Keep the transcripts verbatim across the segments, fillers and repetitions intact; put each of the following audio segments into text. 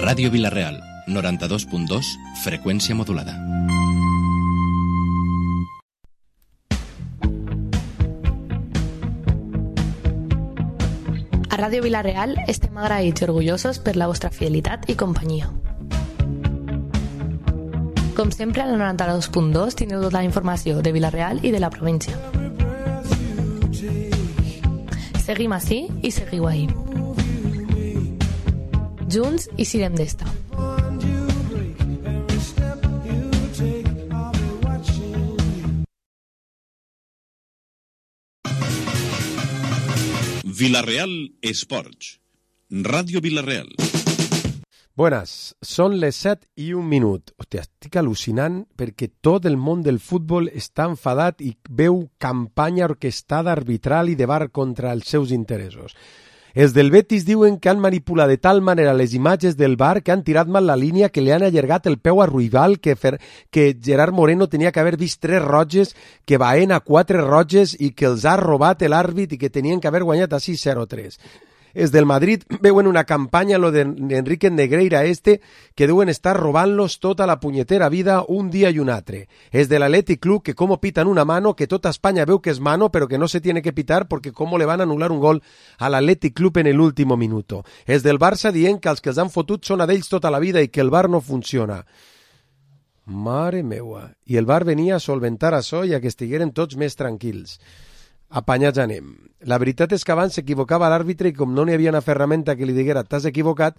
Ràdio Vila-real, noranta-dos punt dos, freqüència modulada. A Ràdio Vila-real estem agraïts i orgullosos per la vostra fidelitat i companyia. Com sempre, al noranta-dos punt dos teniu tota la informació de Vila-real i de la província. Seguim ací i seguiu ahí. Junts i sirem d'esta. Vila-real Esports. Ràdio Vila-real. Buenas, són les set i un minut. Hòstia, estic al·lucinant perquè tot el món del futbol està enfadat i veu campanya orquestada, arbitral i de bar contra els seus interessos. Els del Betis diuen que han manipulat de tal manera les imatges del bar que han tirat mal la línia, que li han allargat el peu a Ruibal, que, Fer, que Gerard Moreno tenia que haver vist tres roges, que Baena quatre roges i que els ha robat l'àrbit i que tenien que haver guanyat a sis zero tres. Els del Madrid veuen una campanya, lo d'Enrique Negreira este, que deuen estar robant-los tota la punyetera vida un dia i un altre. Els de l'Athletic Club, que como pitan una mano, que tota Espanya veu que és mano, però que no se tiene que pitar porque como le van a anular un gol a l'Athletic Club en el último minuto. Els del Barça dient que els que els han fotut són a d'ells tota la vida i que el bar no funciona. Mare meua. I el bar venia a solventar això i a que estigueren tots més tranquils. Apanyats anem. La veritat és que abans s'equivocava l'àrbitre i com no n'hi havia una ferramenta que li diguera t'has equivocat,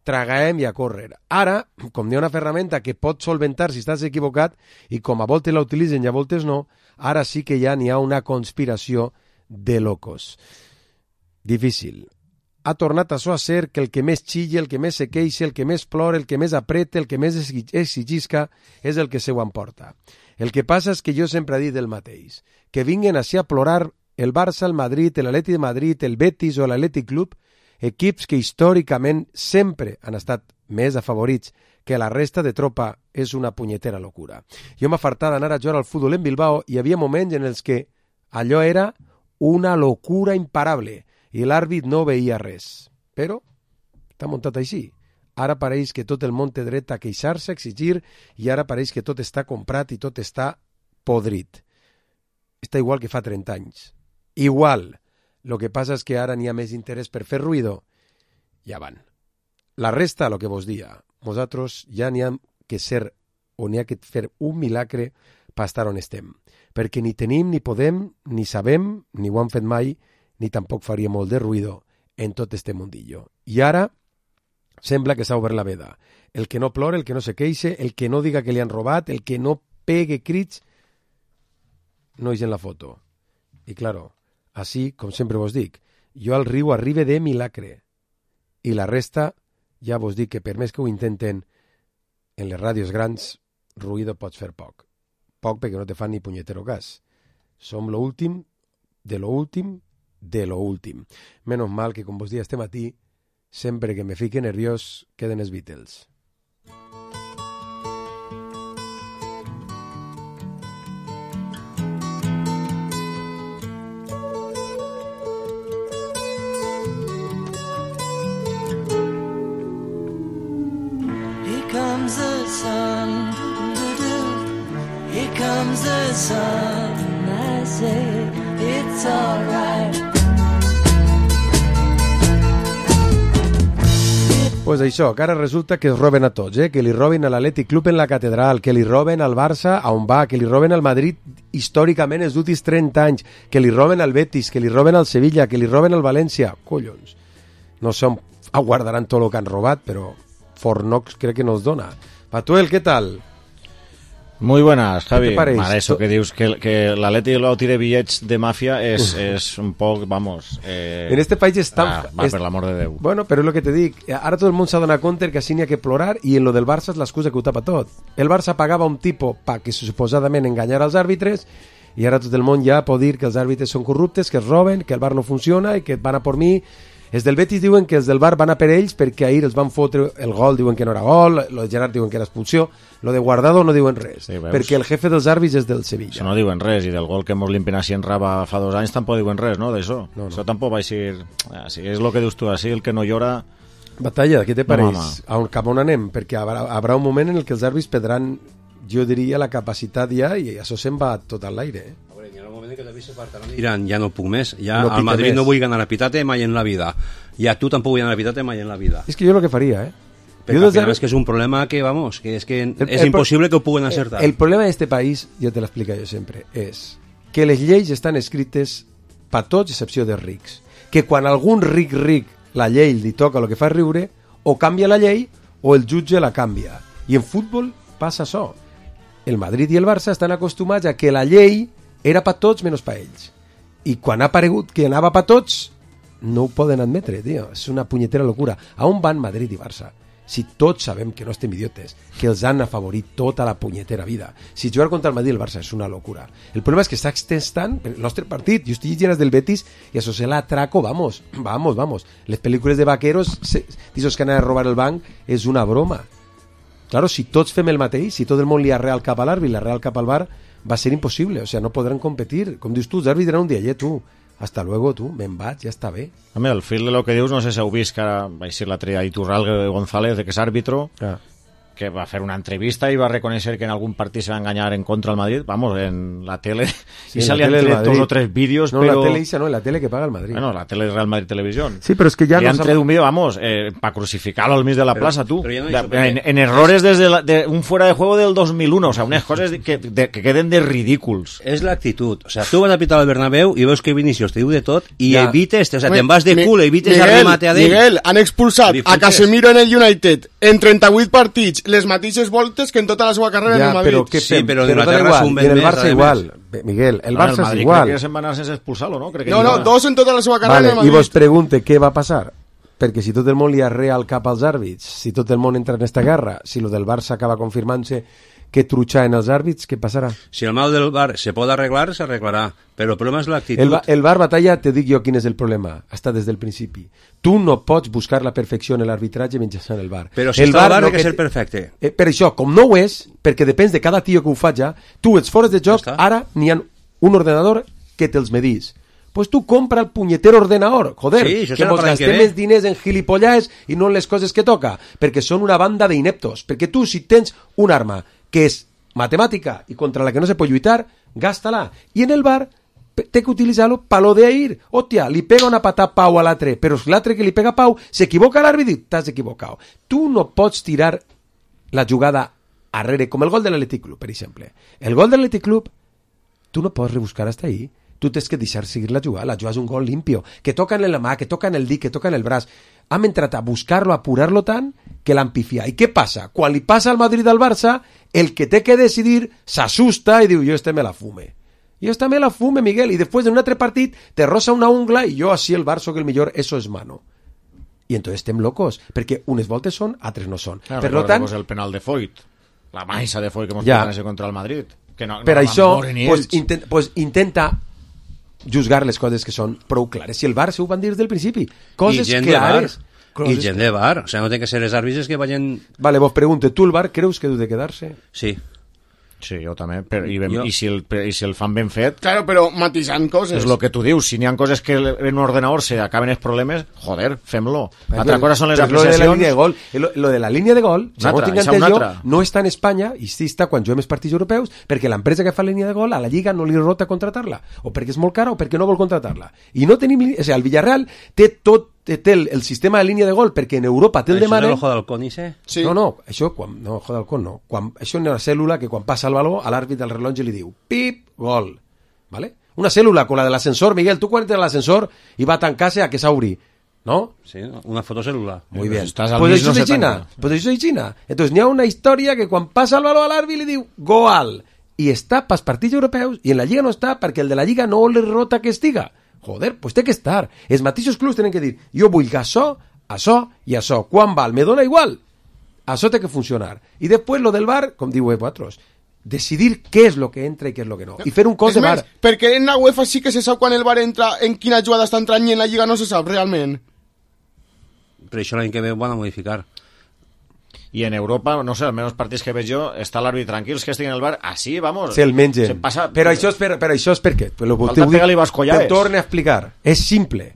tragaem i a córrer. Ara, com n'hi ha una ferramenta que pot solventar si estàs equivocat i com a voltes la utilitzen i a voltes no, ara sí que ja n'hi ha una conspiració de locos. Difícil. Ha tornat això a ser que el que més xille, el que més se queixa, el que més plora, el que més apreta, el que més exigisca és el que se ho emporta. El que passa és que jo sempre he dit el mateix, que vinguen així a plorar el Barça, el Madrid, l'Atlètic de Madrid, el Betis o l'Atlètic Club, equips que històricament sempre han estat més afavorits que la resta de tropa, és una punyetera locura. Jo m'ha fartat d'anar a jugar al futbol en Bilbao i hi havia moments en els que allò era una locura imparable i l'àrbit no veia res. Però està muntat així. Ara pareix que tot el món té dret a queixar-se, a exigir, i ara pareix que tot està comprat i tot està podrit. Està igual que fa trenta anys. Igual. Lo que passa és que ara n'hi ha més interès per fer ruïdo. Ja van. La resta, lo que vos dia, nosaltres ja n'hi ha que ser o n'hi ha que fer un milagre per estar on estem. Perquè ni tenim, ni podem, ni sabem, ni ho han fet mai, ni tampoc faria molt de ruïdo en tot este mundillo. I ara sembla que s'ha obert la veda. El que no plora, el que no se queixe, el que no diga que li han robat, el que no pegue crits, no és en la foto. I claro, així, com sempre vos dic, jo al riu arribe de milagre. I la resta, ja vos dic que per més que ho intenten, en les ràdios grans, ruïdo pots fer poc. Poc perquè no te fan ni punyetero cas. Som lo últim, de lo últim, de lo últim. Menos mal que, com vos dic este matí, sempre que me fique nerviós queden els Beatles. Here comes the sun, here comes the sun, I say it's alright. Pues això, que ara resulta que es roben a tots, eh? Que li roben a l'Atlètic Club en la Catedral, que li roben al Barça a on va, que li roben al Madrid històricament els últims trenta anys, que li roben al Betis, que li roben al Sevilla, que li roben al València. Collons, no sé on aguardaran tot el que han robat, però Fornox crec que nos dona. Patuel, ¿qué tal? Muy buenas, Javi. Vale, eso que dius que, que l'Atleti lo tire billets de mafia és, és un poc, vamos... Eh... En este país està... Ah, va, es... per l'amor de Déu. Bueno, però és el que te dic. Ara tot el món s'ha donat compte que així n'hi ha que plorar i en lo del Barça és l'excusa que ho tapa tot. El Barça pagava un tipus pa que suposadament enganyara els àrbitres i ara tot el món ja pot dir que els àrbitres són corruptes, que es roben, que el bar no funciona i que van a por mi. Els del Betis diuen que els del bar van a per ells perquè ahir els van fotre el gol, diuen que no era gol, lo de Gerard diuen que era expulsió, lo de Guardado no diuen res, sí, perquè el jefe dels àrbits és del Sevilla. Això no diuen res, i del gol que mos limpen així en Raba fa dos anys tampoc diuen res, no, d'això? No, no. Això tampoc va ser... Ah, sí, és el que dius tu, així el que no llora Batalla, què te No, pareix? home. A on, cap on anem? Perquè haurà, haurà un moment en el que els àrbits perdran, jo diria, la capacitat ja, i això se'n va tot a l'aire. Eh? A veure, hi ha un moment que també se partaran i diran, ja no puc més, ja No al pique Madrid més. no vull ganar a Pitate mai en la vida, i a tu tampoc vull ganar a Pitate mai en la vida. És que jo el que faria, eh? Perquè Jo al final des és que és un problema que, vamos, que és que El- és el- impossible que ho puguen acertar. El problema d'este país, ja te l'explica jo sempre, és que les lleis estan escrites per tots, excepció dels rics. Que quan algun ric ric la llei li toca el que fa riure, o canvia la llei o el jutge la canvia. I en futbol passa això. El Madrid i el Barça estan acostumats a que la llei era per tots menys per ells. I quan ha aparegut que anava per tots, no ho poden admetre, tio. És una punyetera locura. A on van Madrid i Barça? Si tots sabem que no estem idiotes, que els han afavorit tota la punyetera vida. Si jugar contra el Madrid i el Barça és una locura. El problema és que està extestant el nostre partit. Jo estic llenas del Betis i això se l'atraco, vamos, vamos, vamos. Les pel·lícules de vaqueros, d'aquests que anaven a robar el banc, és una broma. Claro, si tots fem el mateix, si tot el món li ha real cap a l'àrbit i la real cap al bar, va ser impossible, o sea, no podran competir. Com dius tu, els àrbits diran un dia, eh, tu, hasta luego, tu, me'n vaig, ja està bé. Home, al fil de lo que dius, no sé si heu vist que ara va ser l'altre dia Iturralde González, que és àrbitro, Ah. que va fer una entrevista i va reconèixer que en algun partit se va enganyar en contra del Madrid, vamos, en la tele, Sí, i en se la li han tele del tret Madrid. dos o tres vídeos, No, però... la tele Isa, no, la tele que paga el Madrid. Bueno, la tele Real Madrid Televisión. Sí, però és que ja Li no han s'ha- tret un vídeo, vamos, eh, para crucificarlo al mig de la Pero- plaza, tú. pero ya no De- hizo Pepe. en, en errores desde la- de un fuera de juego del dos mil uno, o sea, unas cosas de- que, de- que queden de ridículos. És l'actitud. O sea, tu vas a pitar al Bernabéu i veus que Vinicius te diu de tot i Ja. evites, o sea, Ui, te'n vas de Mi- cul, evites Miguel, el remate a d'ell. Miguel, han expulsat Li a fotes. Casemiro en el United en trenta-vuit partits, les mateixes voltes que en tota la seva carrera en Ja, el Madrid. però què Sí, fem? però en dona Inglaterra igual. és un I en el ben més, Barça a igual. Bé, Miguel, el No, Barça és Madrid igual. crec que se'n va anar sense expulsar-lo, no? Crec que No, ni no, una. dos en tota la seva carrera Vale, en el i Madrid. vos pregunte què va passar. Perquè si tot el món li arrea al cap als àrbits, si tot el món entra en esta guerra, si lo del Barça acaba confirmant-se que trutxaven els àrbits, què passarà? Si el mal del bar se pot arreglar, s'arreglarà. Però el problema és l'actitud. El, ba- el bar batalla, te dic jo quin és el problema, està des del principi. Tu no pots buscar la perfecció en l'arbitratge mitjançant el bar. Però si el està el bar, no ha que que ser te- perfecte. Eh, per això, com no ho és, perquè depèn de cada tio que ho faja, tu ets fora de joc, Ja està. ara n'hi ha un ordenador que te'ls medís. Pues tu compra el punyetero ordenador, joder, Sí, això que serà mos per l'any que gastem ve. els diners en gilipollars i no en les coses que toca, perquè són una banda d'ineptos, perquè tu si tens un arma que és matemàtica i contra la que no se pot lluitar, gasta-la, i en el bar pe- té que utilitzar-lo pa lo de ir. Hòstia, li pega una patada Pau a l'altre, però l'altre que li pega Pau s'equivoca l'àrbit i diu, t'has equivocat. Tu no pots tirar la jugada arrere, com el gol de l'Atlètic Club, per exemple. El gol de l'Atlètic Club, tu no pots rebuscar hasta ahí. Tu tens que deixar seguir la jugada. La jugada és un gol limpio, que toca en la mà, que toca en el dit, que toca en el braç. Hem entrat a buscar-lo, a apurar-lo tant, que l'han pifiat. I què passa? Quan li passa al Madrid al Barça, el que té que decidir s'assusta i diu, jo este me la fume. Jo este me la fume, Miguel. I després en un altre partit te rosa una ungla i jo així el Barça que el millor, eso es mano. I entonces estem locos, perquè unes voltes són, altres no són. Claro, per lo tant, recordemos el penal de Foyt, la maissa de Foyt que hemos Ja. ja. contra el Madrid. Que no, per no això, van veure ni pues, ells. intent, pues, intenta juzgar les coses que són prou clares. Si el Barça ho van dir des del principi, I coses gent de bar. clares. I Coses... gent de bar. O sea, no té que ser els àrbitres que vagin... Vale, vos pregunte, tu el Bar creus que deu de quedar-se? Sí. Sí, jo també. Però, i, ben, Jo- i, si el, I si el fan ben fet, Claro, però matisant coses. és el que tu dius. Si n'hi ha coses que en un ordenador se acaben els problemes, joder, fem-lo. L'altra cosa són les Però lo de la apreciacions. línia de gol, lo, lo de la línia de gol, Una segons altra, tinc esa entès una jo, altra. no està en Espanya, i sí està quan juguem els partits europeus, perquè l'empresa que fa la línia de gol a la Lliga no li rota contratar-la, o perquè és molt cara o perquè no vol contratar-la. I no tenim... O sigui, el Villarreal té tot té el, el sistema de línia de gol, perquè en Europa té el Això és demanen... l'ojo d'halcón, ise? Sí. No, no, això, quan, no, joder, con no. Quan, això és una cèl·lula que quan passa el baló, a l'àrbit del rellotge li diu pip, gol. ¿Vale? Una cèl·lula com la de l'ascensor, Miguel, tu quan entres a l'ascensor i va a tancar-se a que s'obri, ¿no? Sí, una fotocèl·lula. Muy bien. Estás al Pues mismo això és se China. tanca. Pues això és China. Entonces n'hi ha una història que quan passa el baló a l'àrbit li diu gol. I està pels partits europeus i en la Lliga no està perquè el de la Lliga no li rota que estiga. Joder, pues té que estar. Els mateixos clubs tenen que dir, jo vull que això, això i això. Quan val? Me dona igual. Això té que funcionar. I després lo del bar, com diu vosaltres, decidir què és lo que entra i què és lo que no. I fer un cos És de bar. més, perquè en la UEFA sí que se sap quan el bar entra, en quina jugada està entrant, i en la Lliga no se sap realment. Per això l'any que ve ho van a modificar. I en Europa, no sé, almenys els partits que veig jo, està l'àrbit tranquils que estigui en el bar, així, vamos. Se'l mengen. Se passa... Però això és per, però això és per què? Però lo Falta te ho dic- pegar-li bascollaes. Te torne a explicar. És simple.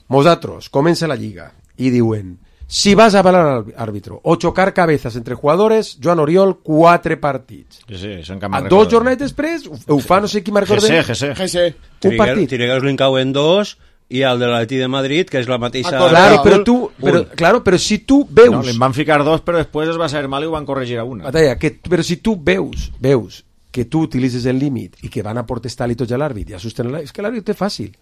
Vosaltres, comença la Lliga i diuen Si vas a hablar al árbitro o chocar cabezas entre jugadores, Joan Oriol, quatre partits. Sí, sí, això A dos jornades després, ho fa no sé qui me'n recordem. G C, G C. Un partit. Trigaus l'incau en dos i el de l'Atleti de Madrid, que és la mateixa... Ah, Claro, pero tú, pero, claro, pero si tú veus... No, li en van ficar dos, però després es va saber mal i ho van corregir a una. Batalla, que, però si tu veus, veus que tu utilitzes el límit i que van a protestar-li tots a l'àrbit i assusten l'àrbit, és que l'àrbit ho té fàcil.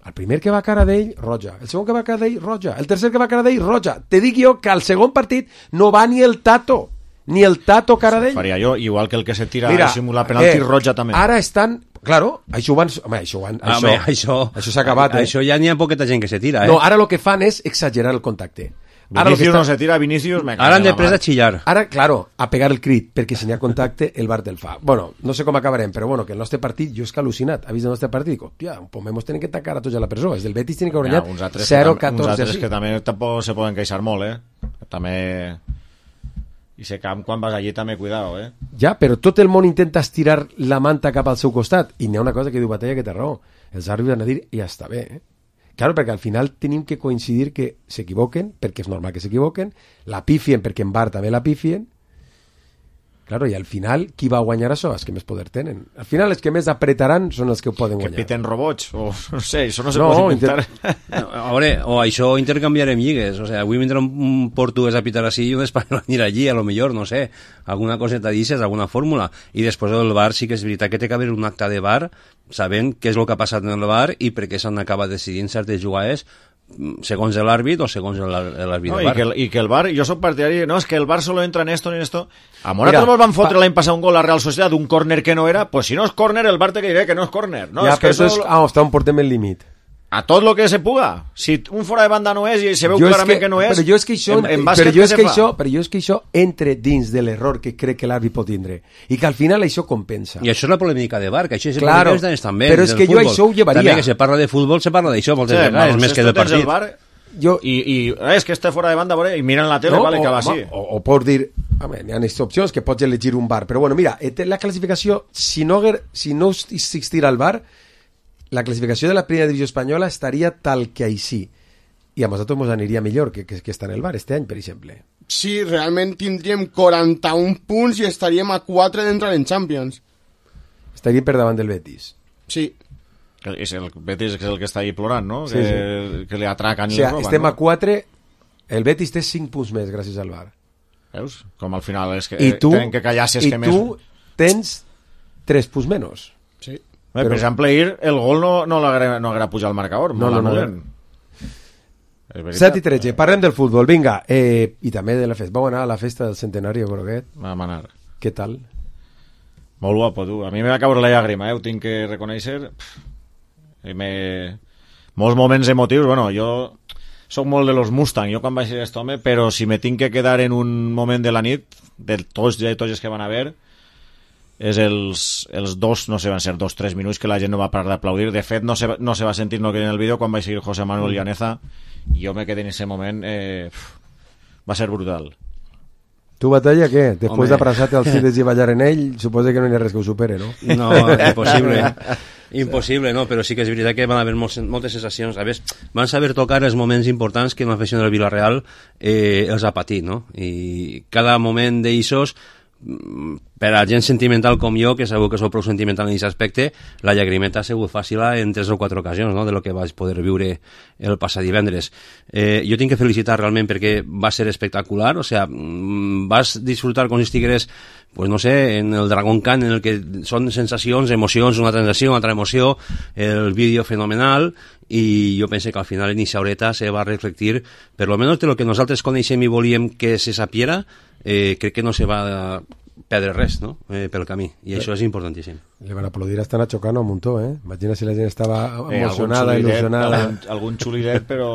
El primer que va a cara d'ell, roja. El segon que va a cara d'ell, roja. El tercer que va a cara d'ell, roja. Te dic jo que al segon partit no va ni el Tato, ni el Tato cara d'ell. Faria jo, igual que el que se tira a simular penalti, eh, roja també. Ara estan... Claro, això ho van... Home, això, ho van, això, Home, això, això s'ha acabat, eh? Això ja n'hi ha poqueta gent que se tira, eh? No, ara el que fan és exagerar el contacte. Ara Vinicius està... no se tira, Vinicius me Ara han de pres a xillar. Ara, claro, a pegar el crit, perquè si n'hi ha contacte, el V A R te'l fa. Bueno, no sé com acabarem, però bueno, que el nostre partit, jo és que al·lucinat, ha vist el nostre partit, dic, hòstia, pues hemos tenen que tancar a tots a la presó, els del Betis tenen que guanyar zero a catorze. Uns altres que també tampoc se poden queixar molt, eh? També... I se camp quan vas allí també, cuidado, eh? Ja, però tot el món intenta estirar la manta cap al seu costat, i n'hi ha una cosa que diu Batalla que té raó, els àrbitres van a dir, ja està bé, eh? Claro, perquè al final tenim que coincidir que s'equivoquen, perquè és normal que s'equivoquen, la pifien perquè en V A R també la pifien. Claro, i al final, qui va guanyar això? Els que més poder tenen. Al final, els que més apretaran són els que ho poden Que guanyar. piten robots, o no sé, això no se No, pot inventar. No, a veure, o això intercanviarem lligues, o sea, avui vindrà un, un portuguès a pitar així i un espanyol anirà allí, a lo millor, no sé, alguna coseta d'ixes, alguna fórmula, i després del V A R sí que és veritat que té que haver un acte de V A R sabent què és el que ha passat en el V A R i per què s'han acabat decidint certes jugades segons l'àrbit o segons l'àrbit No, del i, V A R. que el, I que el V A R, jo soc partidari, no, és que el V A R solo entra en esto ni en esto. A Morata Mira, nos van fotre pa... l'any passat un gol a Real Sociedad d'un córner que no era, pues si no és córner, el V A R te que diré que no és córner. No, ja, és que però eso... és... Ah, està on portem el límit. A tot lo que se puga. Si un fora de banda no és i se veu Jo és clarament que, que no és, però jo és que això, en, en però bàsquet jo què és se que fa? això, però jo és que això entre dins de l'error que crec que l'àrbit pot tindre i que al final això compensa. I això és la polèmica de V A R, que això és el Claro, que ens també però és que jo això ho llevaria. També que se parla de futbol, se parla d'això moltes Sí, vegades, més que del tens el partit. V A R Jo... i, i eh, és que està fora de banda, veure, i miren la tele, No, vale, o, que va home, així. o, o pots dir, home, hi ha aquestes opcions que pots elegir un V A R, però bueno, mira, la classificació, si no, si no existira el V A R, la classificació de la primera divisió espanyola estaria tal que així, i a nosaltres ens aniria millor que, que, que està en el V A R este any, per exemple. Sí, realment tindríem quaranta-un punts i estaríem a quatre d'entrar en Champions. Estaríem per davant del Betis. Sí. Que és el Betis que és el que està ahí plorant, no? Sí, que, sí. que li atraquen O i sigui, li roben, estem no? a quatre, el Betis té cinc punts més gràcies al V A R. Veus? Com al final és que I tu, tenen que callar si és i que tu més... tens tres punts menys. Sí. Bé, però- Per exemple, ahir el gol no, no l'haguera no haguera pujat al marcador. No, no, no, l'anulen. És veritat. set i tretze, parlem del futbol, vinga, eh, i també de la festa. Vau anar a la festa del centenari de Groguet, Vam anar. què tal? Molt guapo, tu. A mi me va caure la llàgrima, eh? Ho tinc que reconèixer. Pff, i me... Molts moments emotius. Bueno, jo soc molt de los Mustang, jo quan vaig ser aquest home, però si me tinc que quedar en un moment de la nit, de tots i tots els que van haver, és els, els dos, no sé, van ser dos, tres minuts que la gent no va parar d'aplaudir. De fet, no se, no se va sentir no que en el vídeo quan vaig seguir José Manuel Llaneza, i jo me quedé en ese moment, eh, va ser brutal. Tu, Batalla, què? Després Home. d'abraçar-te als fills i ballar en ell, suposa que no hi ha res que ho supere, no? No, impossible. Impossible, no, però sí que és veritat que van haver moltes, moltes sensacions. A més, van saber tocar els moments importants que l'afició del Villarreal eh, els ha patit, no? I cada moment d'eixos, per a gent sentimental com jo, que segur que sou prou sentimental en aquest aspecte, la llagrimeta ha sigut fàcil en tres o quatre ocasions, no?, de lo que vaig poder viure el passat divendres. Eh, jo tinc que felicitar realment perquè va ser espectacular, o sea, vas disfrutar com si estigueres, pues no sé, en el Dragon Khan, en el que són sensacions, emocions, una transació, una altra emoció, el vídeo fenomenal, i jo pense que al final en aquesta horeta se va reflectir, per lo menos de lo que nosaltres coneixem i volíem que se sapiera, eh, crec que no se va perdre res, no?, eh, pel camí, i això és importantíssim. Le van a aplaudir hasta Nacho Cano un muntó, eh? Imagina si la gent estava Eh, emocionada, algun xuliret, il·lusionada. Algun, algun xuliret, però...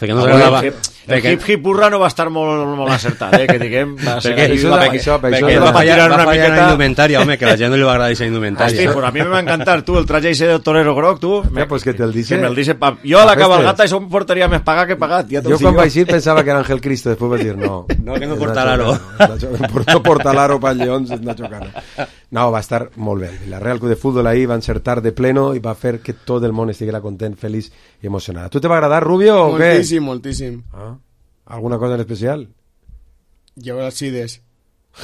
Perquè no el s'agradava- hip- El perquè- hip-hip-hurra no va estar molt, molt acertat, eh, que diguem... Va ser Perquè ahí, això, va- això, això, Perquè això, va va fallar, tirar va una fallar en la miqueta- indumentària, home, que a la gent no li va agradar aquesta Hosti, indumentària. pues a mi me va encantar, tu, el traje ese de torero groc, tu... Ja, pues que te'l dice. Que me'l dice pa... Jo a la Aquestes. cabalgata això em portaria més pagar que pagat, ja t'ho Jo dic quan vaig ir pensava que era Ángel Cristo, després vaig dir no. No, que no és porta Nacho l'aro. Cano, és Nacho- No porta l'aro pel Lleons, és Nacho Cano. No, va estar molt bé. La Real Club de Fútbol ahí va encertar de pleno i va fer que tot el món estiguera content, feliç i emocionat. Tu te va agradar, Rubio, o què? Moltíssim, moltíssim. Ah. ¿Alguna cosa en especial? Llevar Alcides.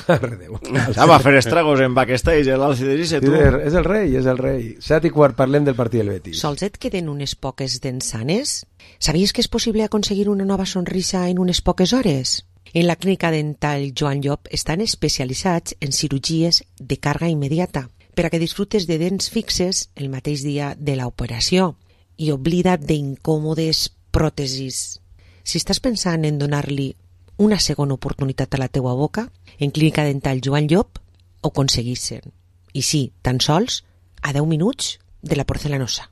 Ja va fer estragos en backstage l'Alcides i tu. És el rei, és el rei. Set i quart, parlem del partit del Betis. Sols et queden unes poques dents sanes? Sabies que és possible aconseguir una nova sonrisa en unes poques hores? En la clínica dental Joan Llop estan especialitzats en cirurgies de càrrega immediata per a que disfrutes de dents fixes el mateix dia de l'operació i oblida't d'incòmodes pròtesis. Si estàs pensant en donar-li una segona oportunitat a la teua boca, en Clínica Dental Joan Llop ho aconseguissin. I sí, tan sols a deu minuts de la porcelanosa.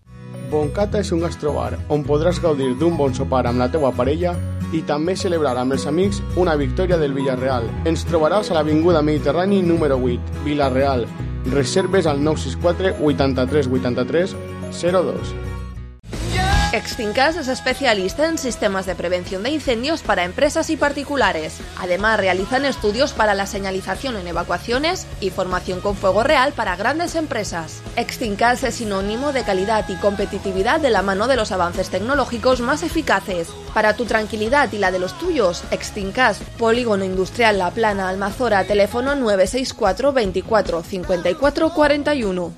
Boncata és un gastrobar on podràs gaudir d'un bon sopar amb la teua parella i també celebrar amb els amics una victòria del Villarreal. Ens trobaràs a l'Avinguda Mediterrani número vuit, Villarreal. Reserves al nou sis quatre vuitanta-tres vuitanta-tres zero dos. Extincas es especialista en sistemas de prevención de incendios para empresas y particulares. Además, realizan estudios para la señalización en evacuaciones y formación con fuego real para grandes empresas. Extincas es sinónimo de calidad y competitividad de la mano de los avances tecnológicos más eficaces. Para tu tranquilidad y la de los tuyos, Extincas, Polígono Industrial La Plana, Almazora, teléfono nueve seis cuatro veinticuatro cincuenta y cuatro cuarenta y uno.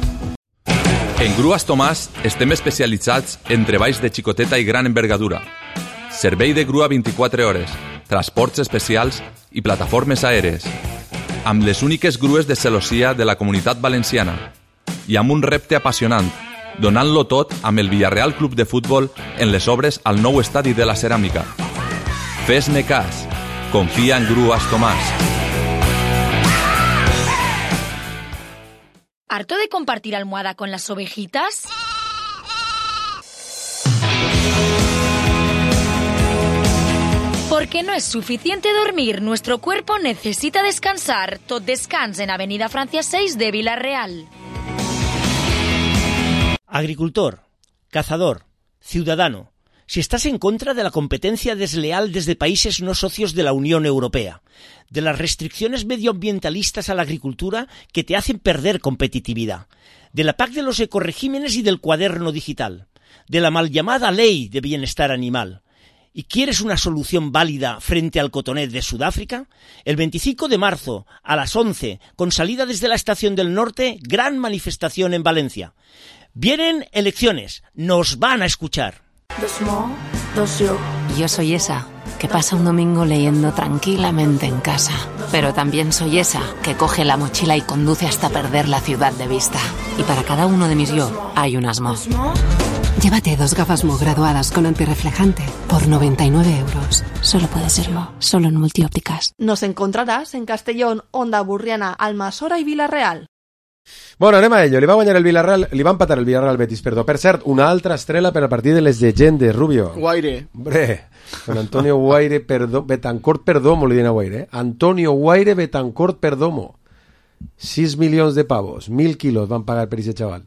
En Grues Tomàs estem especialitzats en treballs de xicoteta i gran envergadura. Servei de grua vint-i-quatre hores, transports especials i plataformes aèries. Amb les úniques grues de celossia de la Comunitat Valenciana. I amb un repte apassionant, donant-lo tot amb el Villarreal Club de Futbol en les obres al nou estadi de la Ceràmica. Fes-ne cas. Confia en Grues Tomàs. ¿Harto de compartir almohada con las ovejitas? Porque no es suficiente dormir, nuestro cuerpo necesita descansar. Tot descans en Avenida Francia seis de Villarreal. Agricultor, cazador, ciudadano. Si estás en contra de la competencia desleal desde países no socios de la Unión Europea, de las restricciones medioambientalistas a la agricultura que te hacen perder competitividad, de la P A C de los ecoregímenes y del cuaderno digital, de la mal llamada Ley de Bienestar Animal, y quieres una solución válida frente al cotonet de Sudáfrica, el veinticinco de marzo a las once, con salida desde la Estación del Norte, gran manifestación en Valencia. Vienen elecciones, nos van a escuchar. Dos mo, dos yo. Yo soy esa que pasa un domingo leyendo tranquilamente en casa. Pero también soy esa que coge la mochila y conduce hasta perder la ciudad de vista. Y para cada uno de mis yo hay unas mo. Llévate dos gafas Mo graduadas con antirreflejante por noventa y nueve euros. Solo puede ser Mo, solo en Multiópticas. Nos encontrarás en Castellón, Onda Burriana, Almasora i Vila-real. Bueno, anem a ello. Li va guanyar el Villarreal, li va empatar el Villarreal al Betis, perdó. Per cert, una altra estrela per al partit de les llegendes, Rubio. Guaire. Hombre, con Antonio Guaire Perdo, Betancourt Perdomo, li diuen a Guaire, eh? Antonio Guaire Betancourt Perdomo. sis milions de pavos, mil quilos van pagar per aquest xaval.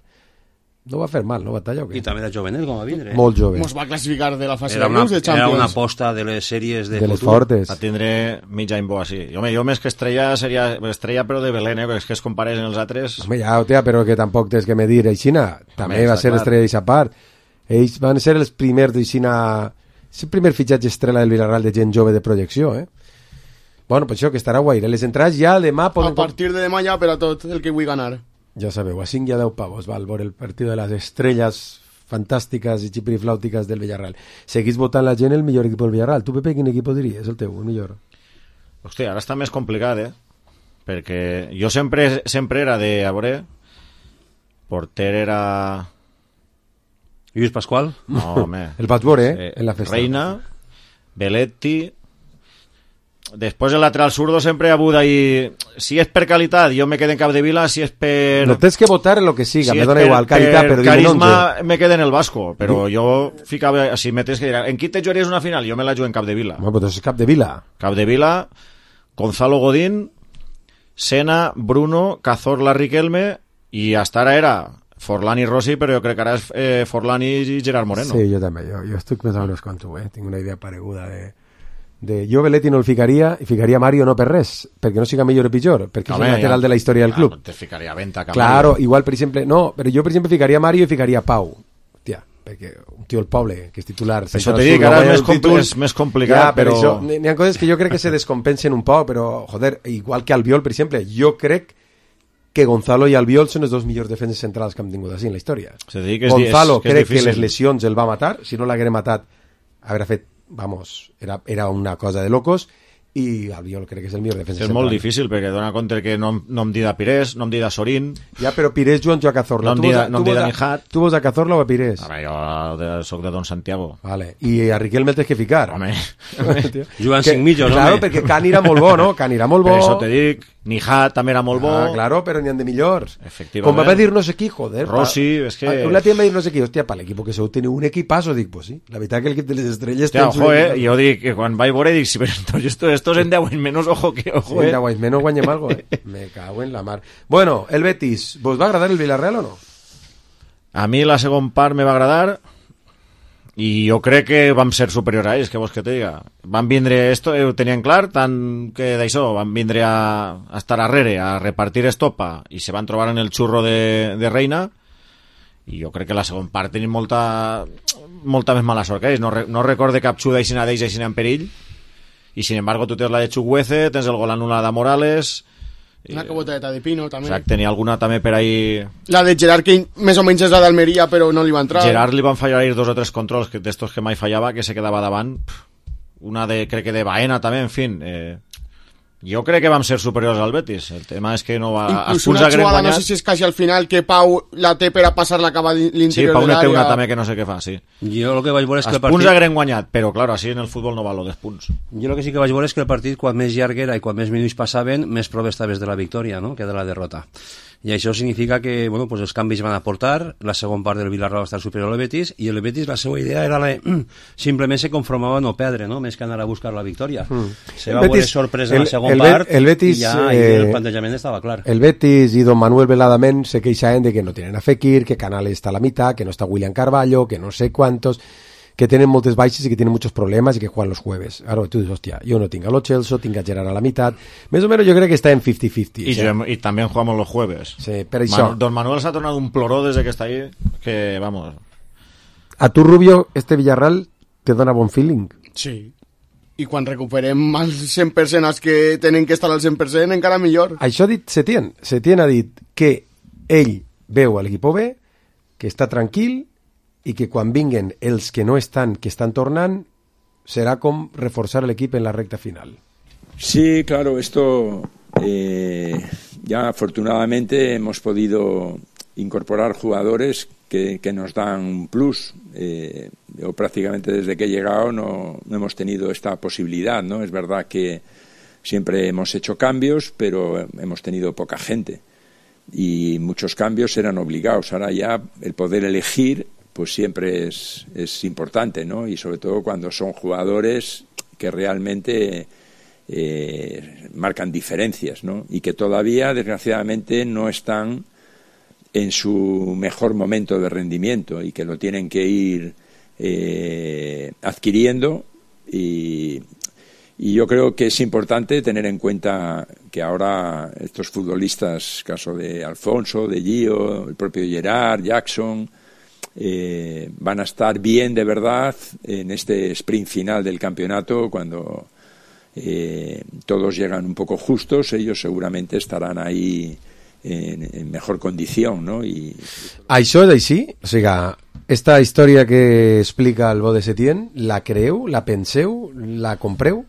No va fer mal, no, batalla o què? I també era jovenet, com va vindre. Eh? Molt jove. Mos va classificar de la fase era de una, grups de Champions. Era una aposta de les sèries de, de futur. les fortes. Va tindre mig any bo així. Home, jo més que estrella seria estrella però de Belén, eh? Perquè és que es compareixen els altres... Home, ja, hòstia, però que tampoc tens que medir Aixina. També Home, va ser clar. estrella d'eixa part. Ells van ser els primers d'Aixina... És el primer fitxatge estrella del Villarreal de gent jove de projecció, eh? Bueno, pues això, que estarà guai. Les entrades ja demà poden... A partir de demà ja per a tot el que vull ganar. Ja sabeu, a cinc i a deu pavos val veure el partit de les estrelles fantàstiques i xipiriflàutiques del Villarreal. Seguís votant la gent el millor equip del Villarreal. Tu, Pepe, quin equip diries? El teu, el millor? Hòstia, ara està més complicat, eh? Perquè jo sempre, sempre era de... A veure... Porter era... Lluís Pasqual? No, home. El vaig veure, eh? Eh, en la festa. Reina, Belletti... Després el lateral zurdo sempre ha hagut ahí... Si és per qualitat, jo me quedo en Capdevila, si és per... No tens que votar en lo que siga, si me és dona per, igual, qualitat, per però carisma dime me quedo en el Vasco, però jo ficava... Si me tens que dir, en qui te jugaries una final? Jo me la jugo en Capdevila. Bueno, pues és Capdevila. Capdevila, Gonzalo Godín, Sena, Bruno, Cazorla, Riquelme, i hasta ara era Forlán i Rossi, però jo crec que ara és eh, Forlán i Gerard Moreno. Sí, jo també, jo, jo estic pensant en els conto, eh? Tinc una idea pareguda de... de jo Belletti no el ficaria i ficaria Mario no per res, perquè no siga millor o pitjor, perquè Home, és el lateral ja, de la història del club. Ja, te ficaria Venta, claro, igual per exemple, no, però jo per exemple ficaria Mario i ficaria Pau. Hòstia, perquè un tio del poble que és titular... Això t'he dit que ara és més, compl és més complicat, ja, però... però... N'hi ha coses que jo crec que se descompensen un poc, però, joder, igual que Albiol, per exemple, jo crec que Gonzalo i Albiol són els dos millors defenses centrals que hem tingut així en la història. Que és, Gonzalo és, que crec difícil. que les lesions el va matar, si no l'haguera matat haurà fet, vamos, era, era una cosa de locos, i Albiol crec que és el millor defensa és central. molt difícil perquè dona compte que no, no em dida Pires, no em dida Sorín, ja, però Pires Joan jo a Cazorla, no em dida, no em dida Nijat. Tu vols a Cazorla o a Pires? Home, jo de, soc de Don Santiago. Vale. I a Riquelme el tens que ficar. Home. Jugant cinc mitjos, claro, home. perquè Can era molt bo, no? Can era molt bo. Per això te dic, Nijat també era molt bo. Ah, claro, però n'hi ha de millors. Efectivament. Com va dir no sé qui, joder. Rossi, és que... Una tia em va dir no sé qui, hòstia, per l'equip que sou teniu un equipazo, dic, pues sí. La veritat que l'equip de les estrelles... Hòstia, ojo, eh, jo dic que quan vaig veure dic, si però estos, estos en deu anys menos, ojo que ojo, sí, eh. en deu anys menos guanyem algo, eh. Me cago en la mar. Bueno, el Betis, ¿vos va agradar el Villarreal o no? A mi la segon part me va agradar i jo crec que vam ser superiors a ells, que vols que te diga. Van vindre, esto ho tenien clar, tant que d'això, van vindre a, a estar arrere, a repartir estopa, i se van trobar en el xurro de, de Reina, i jo crec que la segon part tenim molta, molta més mala sort que ells. No, no recorde cap xuda aixina d'ells aixina en perill, i sin embargo tu tens la de Chukwueze, tens el gol anul·lat de Morales... Una caboteta de Pino, també. Exacte, tenia alguna també per ahí... La de Gerard, que més o menys és la d'Almeria, però no li va entrar. Gerard li van fallar ahir dos o tres controls que d'estos que mai fallava, que se quedava davant. Una de, crec que de Baena també, en fin... Eh, jo crec que vam ser superiors al Betis. El tema és que no va... Inclús una jugada, no sé si és quasi al final, que Pau la té per a passar la cava l'interior sí, Pau de l'àrea. Sí, Pau té una també que no sé què fa, sí. Jo el que vaig veure és que els el partit... punts hagueren guanyat, però clar, així en el futbol no val lo dels punts. Jo el que sí que vaig veure és que el partit, quan més llarg era i quan més minuts passaven, més proves estaves de la victòria, no?, que de la derrota. I això significa que, bueno, pues els canvis van aportar, la segon part del Villarreal va estar superior al Betis, i el Betis la seva idea era la, simplement se conformava a no perdre, no?, més que anar a buscar la victòria. Mm. Se va veure sorpresa en la segon el, part el Betis, i ja eh, el plantejament estava clar. El Betis i Don Manuel Veladament se queixaven de que no tienen a Fekir, que Canales está a la mitad, que no está William Carvalho, que no sé cuántos, que tienen moltes baixes y que tienen muchos problemas y que juegan los jueves. Ahora tú dices, hostia, yo no tengo a Lo Celso, tengo a Gerard a la mitad. Més o menos yo creo que está en cincuenta cincuenta. Y, ¿sí? Y también jugamos los jueves. Sí, pero eso... Man, Don Manuel se ha tornado un ploró desde que está ahí, que vamos... A tu, Rubio, este Villarreal te dona bon feeling? Sí. I quan recuperem al cent per cent els que tenen que estar al cent per cent, encara millor. Això ha dit Setién. Setién ha dit que ell veu a l'equip B, que està tranquil, i que quan vinguen els que no estan, que estan tornant, serà com reforçar l'equip en la recta final. Sí, claro, esto eh, ya afortunadamente hemos podido incorporar jugadores que, que nos dan un plus. Eh, yo prácticamente desde que he llegado no, no hemos tenido esta posibilidad, ¿no? Es verdad que siempre hemos hecho cambios, pero hemos tenido poca gente y muchos cambios eran obligados. Ahora ya el poder elegir pues siempre es, es importante, ¿no? Y sobre todo cuando son jugadores que realmente eh, marcan diferencias, ¿no? Y que todavía, desgraciadamente, no están en su mejor momento de rendimiento y que lo tienen que ir eh, adquiriendo y, y yo creo que es importante tener en cuenta que ahora estos futbolistas, caso de Alfonso, de Gio, el propio Gerard, Jackson... Eh, van a estar bien de verdad en este sprint final del campeonato cuando eh, todos llegan un poco justos, ellos seguramente estarán ahí en, en mejor condición, ¿no? Y... Això és així? O sigui, esta història que explica el bo de Setién, la creu, la penseu, la compreu?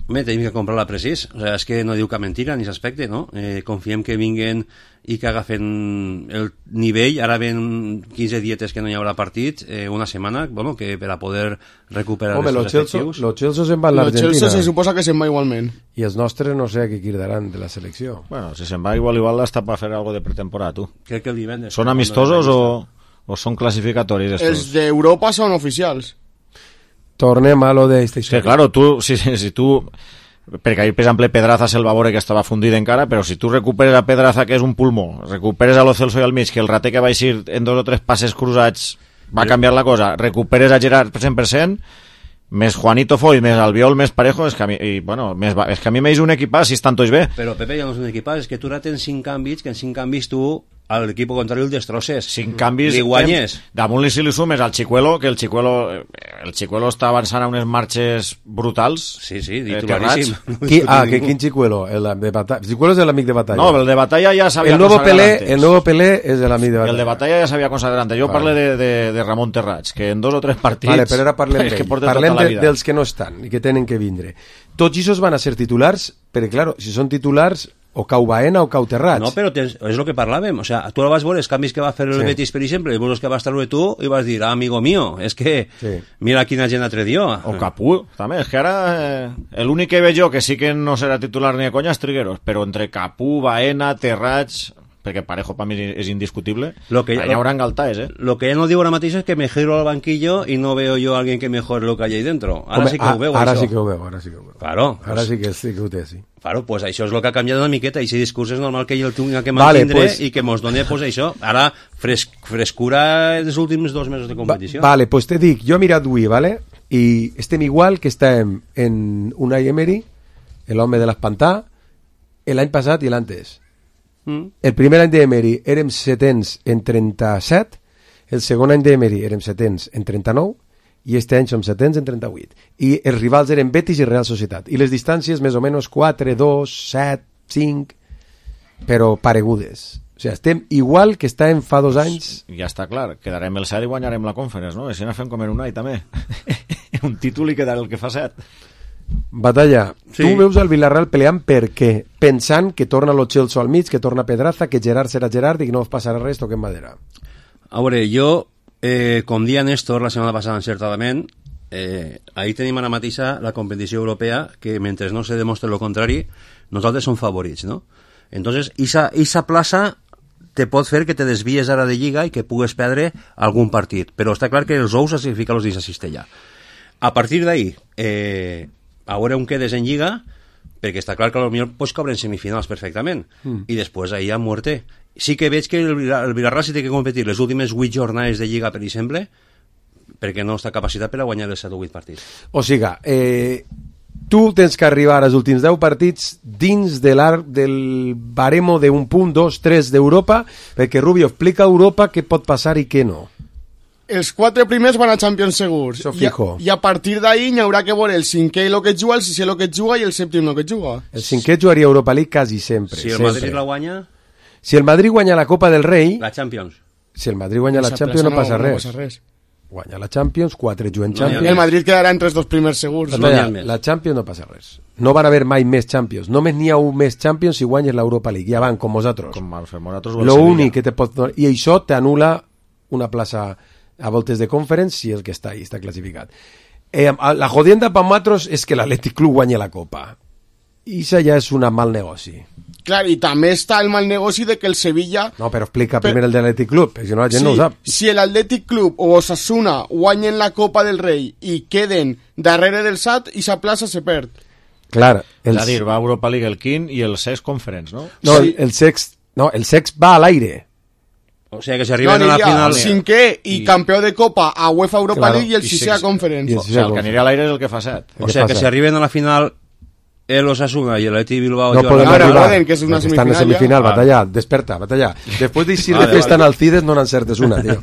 Home, tenim que comprar-la precís. O sigui, és que no diu cap mentira en aquest aspecte, no? Eh, confiem que vinguen i que agafen el nivell. Ara ven quinze dietes que no hi haurà partit, eh, una setmana, bueno, que per a poder recuperar Home, els efectius. Los Chelsea se'n van a l'Argentina. Los Chelsea se suposa que se'n va igualment. I els nostres no sé a què quedaran de la selecció. Bueno, si se'n va igual, igual està per fer algo de pretemporada, tu. Crec que el divendres. Són amistosos o, o són classificatoris? Estos? Els d'Europa són oficials. Tornem a lo de esta història. Que claro, tu, si, si tu... perquè ahir, per exemple, Pedraza se'l va veure que estava fundit encara, però si tu recuperes a Pedraza, que és un pulmó, recuperes a Lo Celso i al mig, que el rater que va eixir en dos o tres passes cruzats va canviar la cosa, recuperes a Gerard cent per cent, més Juanito Foy, més Albiol, més Parejo, és que a mi, i, bueno, més, és que a mi m'eix un equipàs si estan tots bé. Però, Pepe, ja no és un equipàs, és que tu ara tens cinc canvis, que en cinc canvis tu a l'equip contrari el destrosses. Cinc canvis. Li guanyes. Damunt li si li sumes al Chicuelo, que el Chicuelo, el Chicuelo està avançant a unes marxes brutals. Sí, sí, titularíssim. Eh, Qui, ah, que, quin Chicuelo? El de Batalla. Chicuelo és l'amic de Batalla. No, el de Batalla ja s'havia el nuevo consagrat Pelé, antes. El nuevo Pelé és l'amic de Batalla. El de Batalla ja s'havia consagrat antes. Jo vale. parlo de, de, de Ramon Terrats, que en dos o tres partits... Vale, però ara parlem és que d'ell. porta Parlem tota la de, vida. dels que no estan i que tenen que vindre. Tots aquests van a ser titulars, perquè, claro, si són titulars, o cau Baena o cau Terrats. No, però tens, és el que parlàvem. O sea, tu vas veure els canvis que va fer el Sí. Betis, per exemple, i els que vas treure tu, i vas dir, ah, amigo mío, és que Sí. mira quina gent atredió. O Capú, també. És que ara eh, l'únic que veig jo que sí que no serà titular ni de conya és Trigueros, però entre Capú, Baena, Terrats... perquè Parejo per mi és indiscutible, Lo que, allà haurà engaltaes, eh? Lo que ella no diu ara mateix és que me giro al banquillo y no veo yo a alguien que mejore lo que hay ahí dentro. Ara Home, sí que ho veu, ara això. sí que ho veu, ara sí que ho veu. Claro. Ara sí que, sí que ho té, sí. Claro, pues això és el que ha canviat una miqueta, i si discurs és normal que ell el tinga que Vale, mantindre pues- i que mos doni pues, això. Ara, fres, frescura dels últims dos mesos de competició. Va, vale, pues te dic, jo he mirat avui, vale? I estem igual que estàvem en Unai Emery, l'home de l'Espantà, l'any passat i l'antes. Mm. El primer any d'Emery érem setens en trenta-set, el segon any d'Emery érem setens en trenta-nou i este any som setens en trenta-vuit. I els rivals eren Betis i Real Societat. I les distàncies més o menys quatre, dos, set, cinc, però paregudes. O sigui, estem igual que estàvem fa dos anys. Ja està clar, quedarem el set i guanyarem la Conference, no? I si no fem com en un any també. Un títol i quedarà el que fa set. Batalla, Sí. tu veus el Villarreal peleant per què? Pensant que torna lo Chelsea al mig, que torna Pedraza, que Gerard serà Gerard i que no us passarà res, toquem madera. A veure, jo, eh, com dia Néstor la setmana passada encertadament, eh, ahir tenim ara mateixa la competició europea que mentre no se demostre lo contrari, nosaltres som favorits, no? Entonces, esa, esa plaça te pot fer que te desvies ara de Lliga i que pugues perdre algun partit, però està clar que els ous has de ficar-los dins la cistella. A partir d'ahir, eh, a veure on quedes en Lliga, perquè està clar que potser pots caure en semifinals perfectament, Mm. i després ahir a muerte. Sí que veig que el, Vila- el Villarreal sí té que competir les últimes vuit jornades de Lliga, per exemple, perquè no està capacitat per a guanyar els set o vuit partits. O siga, eh, tu tens que arribar als últims deu partits dins de l'arc del baremo d'un punt, dos, tres d'Europa, perquè Rubio explica a Europa què pot passar i què no. Els quatre primers van a Champions segurs. Això I a, fijo. I a partir d'ahir n'hi haurà que veure el cinquè el que juga, el sisè el que juga i el sèptim el que juga. El cinquè jugaria Europa League quasi sempre. Si el sempre. Madrid la guanya, Si el Madrid guanya la Copa del Rei, la Champions. si el Madrid guanya la Esa Champions plaça no passa no res. passa res. Guanya la Champions, quatre juguen No hi ha Champions. El Madrid quedarà entre els dos primers segurs. No n'hi ha la, més. la Champions no passa res. No van haver mai més Champions. Només n'hi ha un més Champions si guanyes l'Europa League. Ja van, com vosaltres. Com el fem nosaltres o el Lo Sevilla. únic que te pot donar... I això t'anula una plaça a voltes de conference si el que està ahí està classificat. Eh, la jodienda per nosaltres és que l'Atlètic Club guanya la Copa. I això ja és un mal negoci. Clar, i també està el mal negoci de que el Sevilla... No, però explica Per- primer el de l'Atlètic Club, perquè si no la gent Sí, no ho sap. si l'Atlètic Club o Osasuna guanyen la Copa del Rei i queden darrere del S A T, i sa plaça se perd. Clar, És el, a dir, va a Europa League el quinze i el sex Conference, no? no, sí. el, el sex... No, el sex va a l'aire. O sigui que si No, arriben a la aniria final... cinquè i, I- campió de Copa a UEFA Europa Claro, League i el i sisè a six- Conference. i el O sigui, el que aniria a l'aire és el que fa set. O Què sigui que passa? si arriben a la final el Osasuna i el Atleti Bilbao... No i el podem Ahora arribar, poden, que és una perquè estan en semifinal semifinal, ja. batalla, desperta, batalla. Després d'eixir Vale, de festa vale. en Alcides no n'encertes una, tio.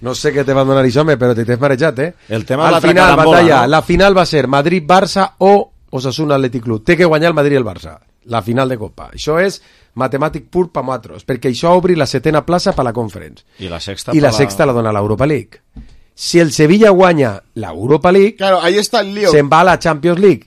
No sé què te va donar això, home, però te t'has marejat, eh? El tema Al de l'altra final, carambola, batalla, no? la final va ser Madrid-Barça o Osasuna-Atlètic Club. Té que guanyar el Madrid i el Barça, la final de Copa. Això és matemàtic pur per nosaltres, perquè això obri la setena plaça per la Conference. I la sexta... I la per sexta la dona l'Europa League. Si el Sevilla guanya l'Europa League, Claro, ahí está el lío. se'n va a la Champions League.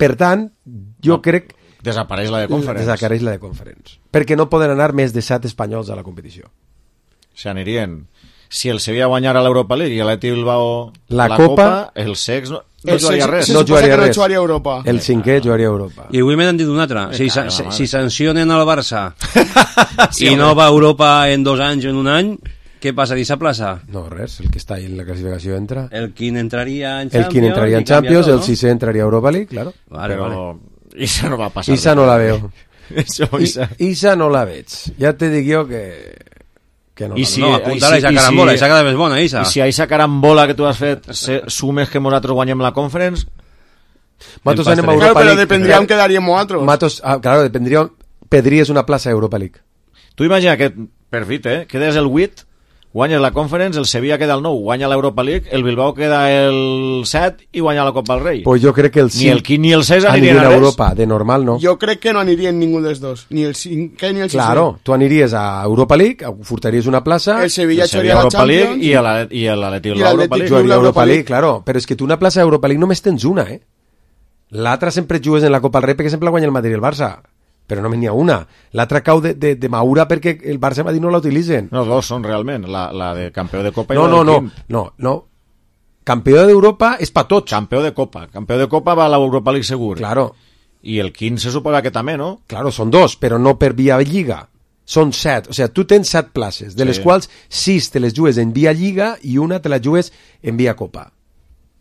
Per tant, jo No, crec Desapareix la de Conference. desapareix la de Conference. Perquè no poden anar més de set espanyols a la competició. O sigui, anirien... Si el Sevilla guanyara l'Europa League i l'Atleti Bilbao La la, Copa, Copa, el sex no, no El jugaria sex- res. se no suposa jugaria que no res. jugaria a Europa. El cinquè jugaria a Europa. I avui m'han dit una altra. Me Si, cago en la si, mare. si sancionen al Barça Sí, i home. no va a Europa en dos anys o en un any, què passa d'esa plaça? No, res, el que està ahí en la classificació entra. El quin entraria en El Champions... quien entraria en i canvia Champions, tot, el no? sisè entraria a Europa League, claro. Vale, Però vale. Isa no va passar. Isa no la veo. Això, I, Isa. Isa no la veig. Ja te dic jo que... que no I la si- No, apunta-la i si- Isa i si- Carambola, Isa cada vez bona, Isa. I si a aquesta carambola que tu has fet se, sumes que nosaltres guanyem la Conference, Matos El anem a pastel. Europa Claro, pero League. dependría en quedaríamos otros. Matos, ah, claro, dependría... Pedries una plaça a Europa League. Tu imagina que, per fit, eh, quedes el vuit, guanyes la Conference, el Sevilla queda el nou, guanya l'Europa League, el Bilbao queda el set i guanya la Copa del Rei. Pues jo crec que el ni el quinze ni el sis anirien anirien a a Europa, de normal no. Jo crec que no anirien ningú dels dos, ni el cinquè ni el sisè. Claro, tu aniries a Europa League, furtaries una plaça... El Sevilla jugaria a la Champions i l'Atlètic l'Europa League. Jugaria a l'Europa League, claro, però és que tu una plaça d'Europa League només tens una, eh? L'altra sempre jugues en la Copa del Rei perquè sempre la guanya el Madrid i el Barça. Però només n'hi ha una. L'altra cau de, de, de Maura perquè el Barça i Madrid no la utilitzen. No, dos són realment, la, la de campió de Copa i no, la no, del no, no, no. Campió d'Europa és pa tots. Campió de Copa. Campió de Copa va a l'Europa League segur. Claro. I el quinze se suposa que també, no? Claro, són dos, però no per via Lliga. Són set. O sigui, tu tens set places, de les Sí. quals sis te les jugues en via Lliga i una te la jugues en via Copa.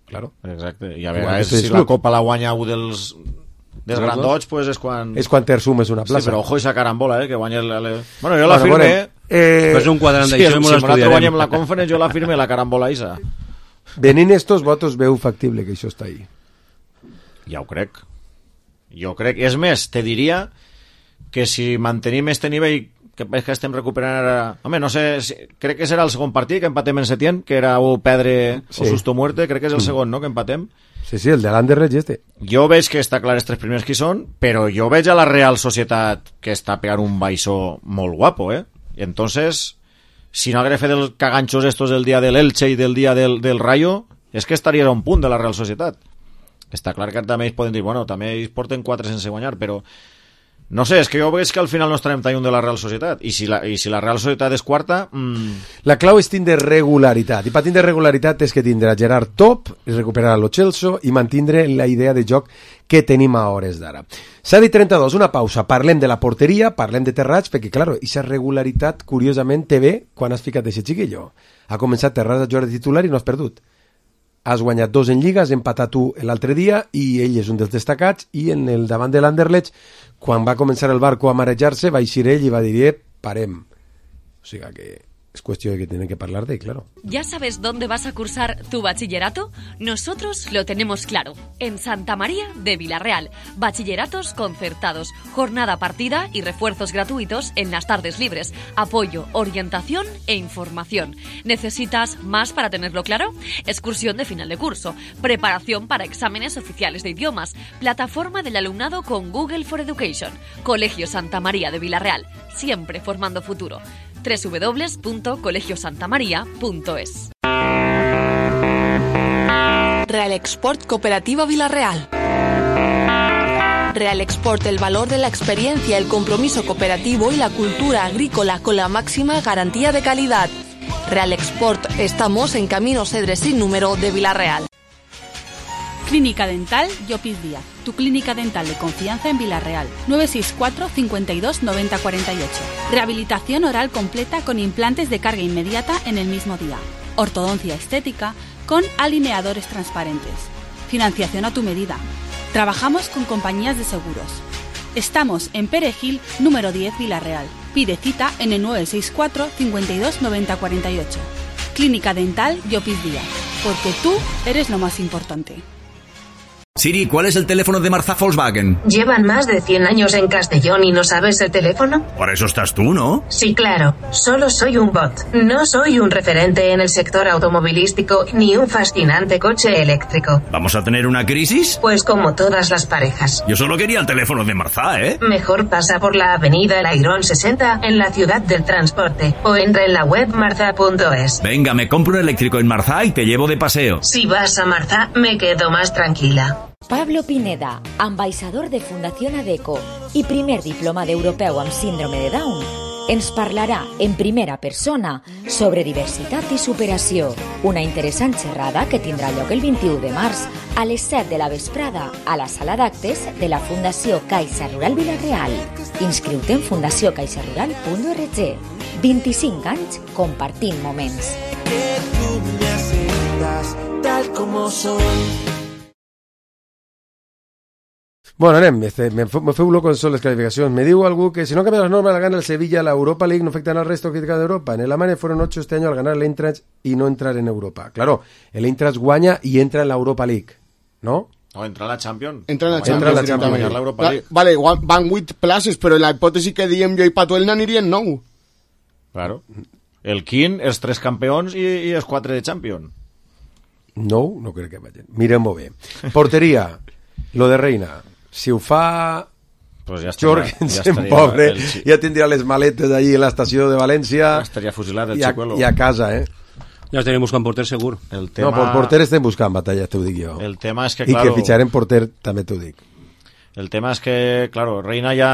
Claro. Exacte. I a Igual vegades, que si este la club. Copa la guanya un dels... dels Dels grandots, pues és quan... És quan te sumes una plaça. Sí, però ojo esa carambola, eh, que guanya... El, el... Bueno, jo la Bueno, firme... bueno, eh, Fes un quadrant sí, d'això i si m'ho nosaltres estudiarem. guanyem la Conference, jo la firme la carambola isa. Venint estos votos veu factible que això està ahí. Ja ho crec. Jo crec. És més, te diria que si mantenim este nivell que veig que estem recuperant ara... Home, no sé, si... crec que serà el segon partit que empatem en Setién, que era o perdre Sí. o susto muerte, crec que és el Mm. segon, no?, que empatem. Sí, sí, el de l'Anderlecht i este. Jo veig que està clar els tres primers qui són, però jo veig a la Real Societat que està pegant un baixó molt guapo, eh? I entonces, si no hagués fet els caganxos estos del dia de l'Elche i del dia del, del Rayo, és que estaria a un punt de la Real Societat. Està clar que també ells poden dir, bueno, també ells porten quatre sense guanyar, però no sé, és que jo veig que al final no estarem tallant de la Real Societat, i si la, i si la Real Societat és quarta... Mmm... La clau és tindre regularitat, i per tindre regularitat és que tindre Gerard top, recuperar Lo Celso i mantindre la idea de joc que tenim a hores d'ara. set i trenta-dos, una pausa, parlem de la porteria, parlem de Terrats, perquè, claro, aquesta regularitat, curiosament, te ve quan has ficat aquest xiquillo. Ha començat Terrats a jugar de titular i no has perdut. Has guanyat dos en Lliga, has empatat tu l'altre dia i ell és un dels destacats, i en el davant de l'Anderlecht, quan va començar el barco a marejar-se, va eixir ell i va dir, eh, parem. O sigui que es cuestión de que tienen que hablar de, claro. ¿Ya sabes dónde vas a cursar tu bachillerato? Nosotros lo tenemos claro. En Santa María de Villarreal. Bachilleratos concertados, jornada partida y refuerzos gratuitos en las tardes libres. Apoyo, orientación e información. ¿Necesitas más para tenerlo claro? Excursión de final de curso. Preparación para exámenes oficiales de idiomas. Plataforma del alumnado con Google for Education. Colegio Santa María de Villarreal. Siempre formando futuro. doble u doble u doble u punto colegio santa maría punto es. Real Export Cooperativa Villarreal. Real Export, el valor de la experiencia, el compromiso cooperativo y la cultura agrícola con la máxima garantía de calidad. Real Export, estamos en Camino Cedres sin número de Villarreal. Clínica Dental Llopis Díaz, tu clínica dental de confianza en Villarreal. nueve seis cuatro, cincuenta y dos, noventa, cuarenta y ocho. Rehabilitación oral completa con implantes de carga inmediata en el mismo día. Ortodoncia estética con alineadores transparentes. Financiación a tu medida. Trabajamos con compañías de seguros. Estamos en Perejil, número diez, Villarreal. Pide cita en el nueve seis cuatro, cincuenta y dos, noventa, cuarenta y ocho. Clínica Dental Llopis Díaz, porque tú eres lo más importante. Siri, ¿cuál es el teléfono de Marza Volkswagen? ¿Llevan más de cien años en Castellón y no sabes el teléfono? Para eso estás tú, ¿no? Sí, claro. Solo soy un bot. No soy un referente en el sector automovilístico ni un fascinante coche eléctrico. ¿Vamos a tener una crisis? Pues como todas las parejas. Yo solo quería el teléfono de Marza, ¿eh? Mejor pasa por la avenida El Airón sesenta en la ciudad del transporte o entra en la web marza punto es. Venga, me compro un eléctrico en Marza y te llevo de paseo. Si vas a Marza, me quedo más tranquila. Pablo Pineda, ambaixador de Fundación ADECO i primer diplomat europeu amb síndrome de Down, ens parlarà en primera persona sobre diversitat i superació. Una interessant xerrada que tindrà lloc el vint-i-u de març a les set de la vesprada a la sala d'actes de la Fundació Caixa Rural Villarreal. Inscriu-te en fundació caixa rural punt org. vint-i-cinc anys compartint moments. Que tú me aceptas tal como soy. Bueno, anem, este, me, me feu loco en les calificacions. Me diu algú que si no cambia las normas la gana el Sevilla, la Europa League no afectan al resto crítica de Europa. En el Alemania fueron ocho este año al ganar el Eintracht y no entrar en Europa. Claro, el Eintracht guanya y entra en la Europa League, ¿no? No, entra a la Champions. Entra en la Guanyar Champions la directament. guanyar l'Europa League. Vale, van vuit places, però en la hipòtesi que diem jo i Patuel n'anirien nou. Claro. El quin, els tres campions i, i els quatre de Champions. No, no crec que vagin. Mirem-ho bé. Porteria, lo de Reina. Si ho fa pues ja estaria, Jorgensen, ja pobre, el... ja tindria les maletes allí a l'estació de València. Ja estaria fusilat el i a, Chicuelo. I a casa, eh? Ja estaríem buscant porter segur. El tema... No, per porter estem buscant batalla, t'ho dic jo. El tema és que, I claro... que fitxarem porter, també t'ho dic. El tema és que, claro, Reina ja...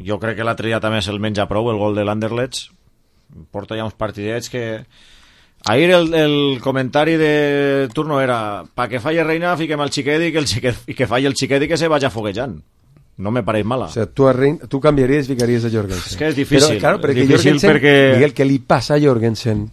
Jo crec que l'altre dia també se'l menja prou, el gol de l'Anderlecht. Porta ja uns partidets que... Ahir el, el comentari de turno era pa que falle Reina, fiquem el xiquet i que, el xiquet, i que falle el xiquet i que se vaya foguejant. No me pareix mala. O sea, tu, a Reina, tu canviaries i ficaries a Jorgensen. És que és difícil. Però, claro, perquè difícil Jorgensen, perquè... Miguel, què li passa a Jorgensen?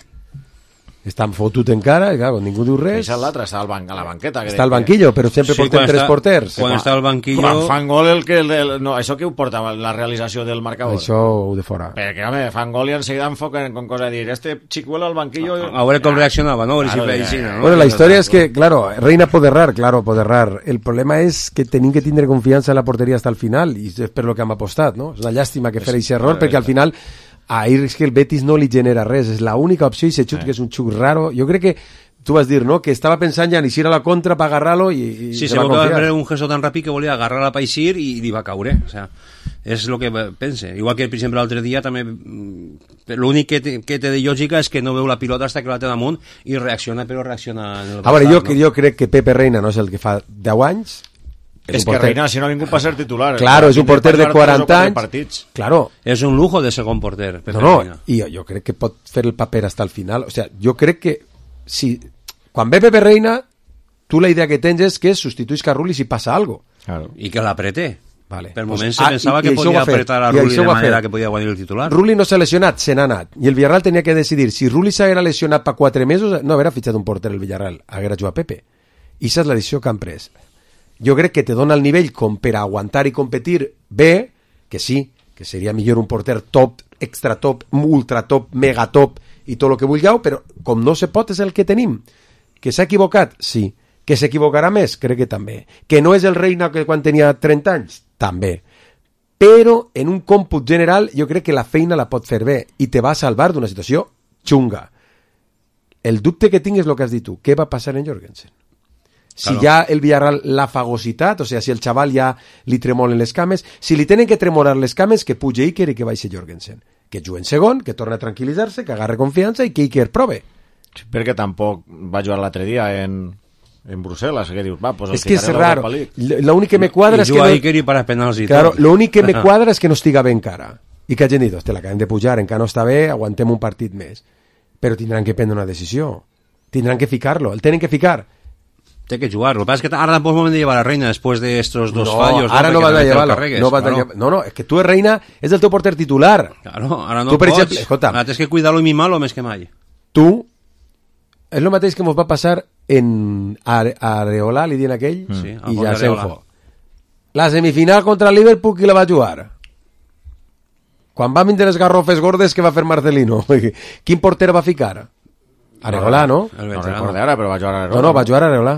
Està fotut encara, i clar, ningú diu res. Això és l'altre, està al ban a la banqueta. Està al banquillo, però sempre Sí, porten quan tres està- porters. quan està al banquillo- Quan fan gol, el que... El, el, no, això que ho porta, la realització del marcador. Això ho de fora. Perquè, home, fan gol i enseguida enfoquen con cosa de dir, este Chicuelo al banquillo... A veure com reaccionava, no? A veure si Claro, feia ya, així, ya. no? Bueno, la història és que, claro, Reina pot errar, claro, pot errar. El problema és que tenim que tindre confiança en la porteria hasta el final, i és per lo que hem apostat, no? És una llàstima que fer aquest error, perquè al final ahir és que el Betis no li genera res, és l'única opció, i se xut, que és un xuc raro. Jo crec que tu vas dir, no?, que estava pensant ja en eixir a la contra per agarrar-lo i, i Sí, se se va va confiar. veure un gesto tan ràpid que volia agarrar a Paixir i li va caure. O sea, és el que pense. Igual que, per exemple, l'altre dia també mm, l'únic que, té, que té de lògica és que no veu la pilota hasta que la té damunt i reacciona, però reacciona en el A veure, jo, no? jo crec que Pepe Reina no és el que fa deu anys. És que Reina, si no ha vingut per ser titular. Claro, és un porter de quaranta anys. Claro. És un lujo de segon porter. Pepe No, no, Reina. i jo, jo crec que pot fer el paper hasta el final. O sea, jo crec que si quan ve Pepe Reina, tu la idea que tens és que substituïsca a Rulli si passa algo. Claro. I que l'apreté. Vale. Per Pues, moments se ah, pensava i- que i això ho podia ha fet. apretar a I Rulli això de ho ha manera fet. que podia guanyar el titular. Rulli no s'ha lesionat, se n'ha anat. I el Villarreal tenia que decidir si Rulli s'haguera lesionat per quatre mesos, no haguera fitxat un porter el Villarreal, haguera jugat Pepe. I aquesta és la decisió que han pres. Jo crec que te dona el nivell com per a aguantar i competir bé, que sí, que seria millor un porter top, extra top, ultra top, mega top i tot el que vulgueu, però com no se pot és el que tenim. Que s'ha equivocat? Sí. Que s'equivocarà més? Crec que també. Que no és el Reina que quan tenia trenta anys? També. Però en un còmput general jo crec que la feina la pot fer bé i te va salvar d'una situació xunga. El dubte que tinc és el que has dit tu. Què va passar en Jorgensen? Si Claro. ja el Villarreal l'ha fagocitat, o sigui, si el xaval ja li tremolen les cames, si li tenen que tremolar les cames, que pugi Iker i que baixi Jorgensen. Que jugui en segon, que torni a tranquil·litzar-se, que agarre confiança i que Iker prove. Perquè tampoc va jugar l'altre dia en, en Brussel·les, que dius, va, pues el És que és ficaré a raro. l'Europa League. L'únic que me quadra I és que... juga no... Iker i para penals i Claro, tot. l'únic que me quadra és que no estiga bé encara. I que hagin dit, hòstia, l'acabem de pujar, encara no està bé, aguantem un partit més. Però tindran que prendre una decisió. Tindran que ficar-lo, el tenen que ficar. Té que jugar. Lo que pasa es que ara tampoc és moment de llevar a Reina después de estos dos no, fallos. ara no Perquè vas a realment el llevar-lo. carregues, No, vas a claro. llevar... no, no, és que tu, Reina, és el teu porter titular. Claro, ara no tu, per pots. exemple, escolta, Ara tens que cuidar-lo i mimar-lo més que mai. tu, és el mateix que ens va passar en Are Areola, li diuen aquell, Mm. Sí, i Alfons ja Areola. se'n fo. La semifinal contra el Liverpool, qui la va jugar? Quan va vindre les garrofes gordes, que va fer Marcelino? Quin porter va ficar? Areola, no? No recordo ara, però va jugar Areola. No, no, va jugar Areola.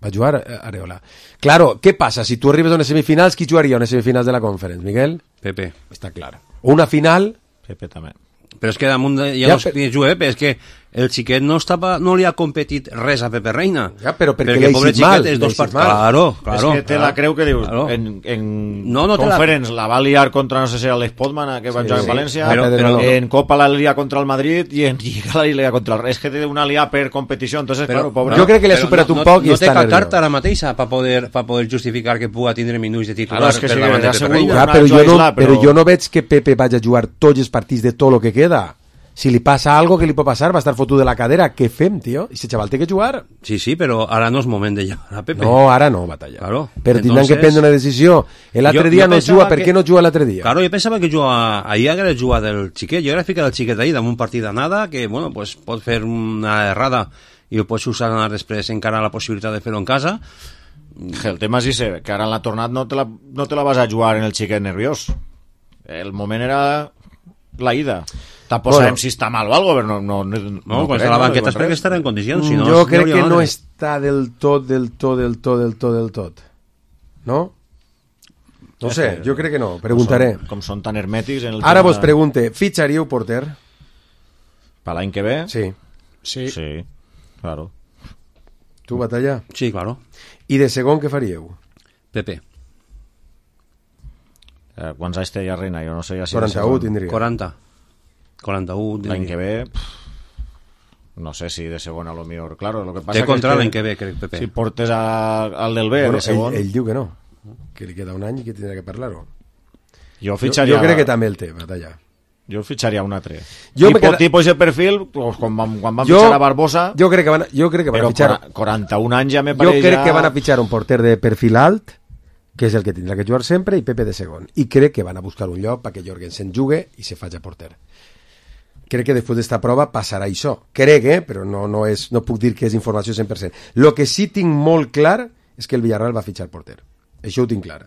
Va jugar Areola. Claro, què passa? Si tu arribes a unes semifinals, qui jugaria a unes semifinals de la Conference, Miguel? Pepe. Està clar. Una final... Pepe també. Però és que damunt de, ja, Ja, no es per- juga Pepe, és que el xiquet no, estava, no li ha competit res a Pepe Reina. Ja, però perquè perquè l'ha pobre eixit mal, xiquet és l'ha dos eixit partits. mal. Claro, claro. És que té la creu que dius, Claro. en, en No, no té la- Conference la... va liar contra, no sé si era l'Espotman, que va Sí, jugar sí. en València, Però- però- en Copa la lia contra el Madrid i en Lliga la lia contra el... És que té una lia per competició, entonces, Però- claro, pobre... Jo crec que li ha Però superat no, un no, poc i no té està cap nerviós. carta ara mateixa per poder, pa poder justificar que puga tindre minuts de titular Claro, és que per sí, davant de ja Pepe segur. Reina. Ja, Una però, jo no, Isla, però- però jo no veig que Pepe vagi a jugar tots els partits de tot el que queda. Si li passa algo que li pot passar, va estar fotut de la cadera. Què fem, tio? I ese xaval té que jugar. Sí, sí, però ara no és moment de llevar a Pepe. No, ara no, batalla. Claro. Però tindran Entonces- que prendre una decisió. L'altre Jo- dia jo no pensava juga. Per que- què no juga l'altre dia? Claro, jo pensava que jugava, ahir hagués jugat el xiquet, jo hagués ficat el xiquet ahir damunt un partit d'anada, que, bueno, pues, pot fer una errada i el pots usar després encara la possibilitat de fer-ho en casa. El tema és ese, que ara en la tornada no te la, no te la vas a jugar en el xiquet nerviós. El moment era la ida. Tampoc Bueno. sabem si està mal o algo, però no... No, no, No, quan està a la banqueta és perquè estarà en condicions, si no... jo no crec hauria que no madre. és està del tot, del tot, del tot, del tot, del tot. No? No sé, jo crec que no, preguntaré. Com són, com són tan hermètics en el Ara tema... vos pregunte, fitxaríeu porter? Per l'any que ve? Sí. Sí. Sí, claro. Tu, Batalla? Sí, claro. I de segon què faríeu? Pepe. Eh, quants anys té ja Reina? Jo no sé ja si quaranta-u tindria. quaranta. quaranta-u l'any que ve pff, no sé si de segon a lo millor, claro, lo que passa té contra que l'any que ve, crec, Pepe. si portes a, al del B bueno, de segon ell, ell diu que no, que li queda un any i que tindrà que parlar-ho. jo fitxaria jo, jo crec que també el té, Batalla. jo fitxaria un altre jo tipo, queda... tipus de perfil pues, quan van, quan van jo, fitxar a Barbosa jo crec que van, jo crec que van a fitxar quaranta-un anys ja me jo pareix crec ja... que van a fitxar un porter de perfil alt, que és el que tindrà que jugar sempre, i Pepe de segon, i crec que van a buscar un lloc perquè Jorgensen jugue i se faci porter. Crec que després d'esta prova passarà això. Crec, eh? Però no, no, és, no puc dir que és informació cent per cent. Lo que sí tinc molt clar és que el Villarreal va fitxar porter. Això ho tinc clar.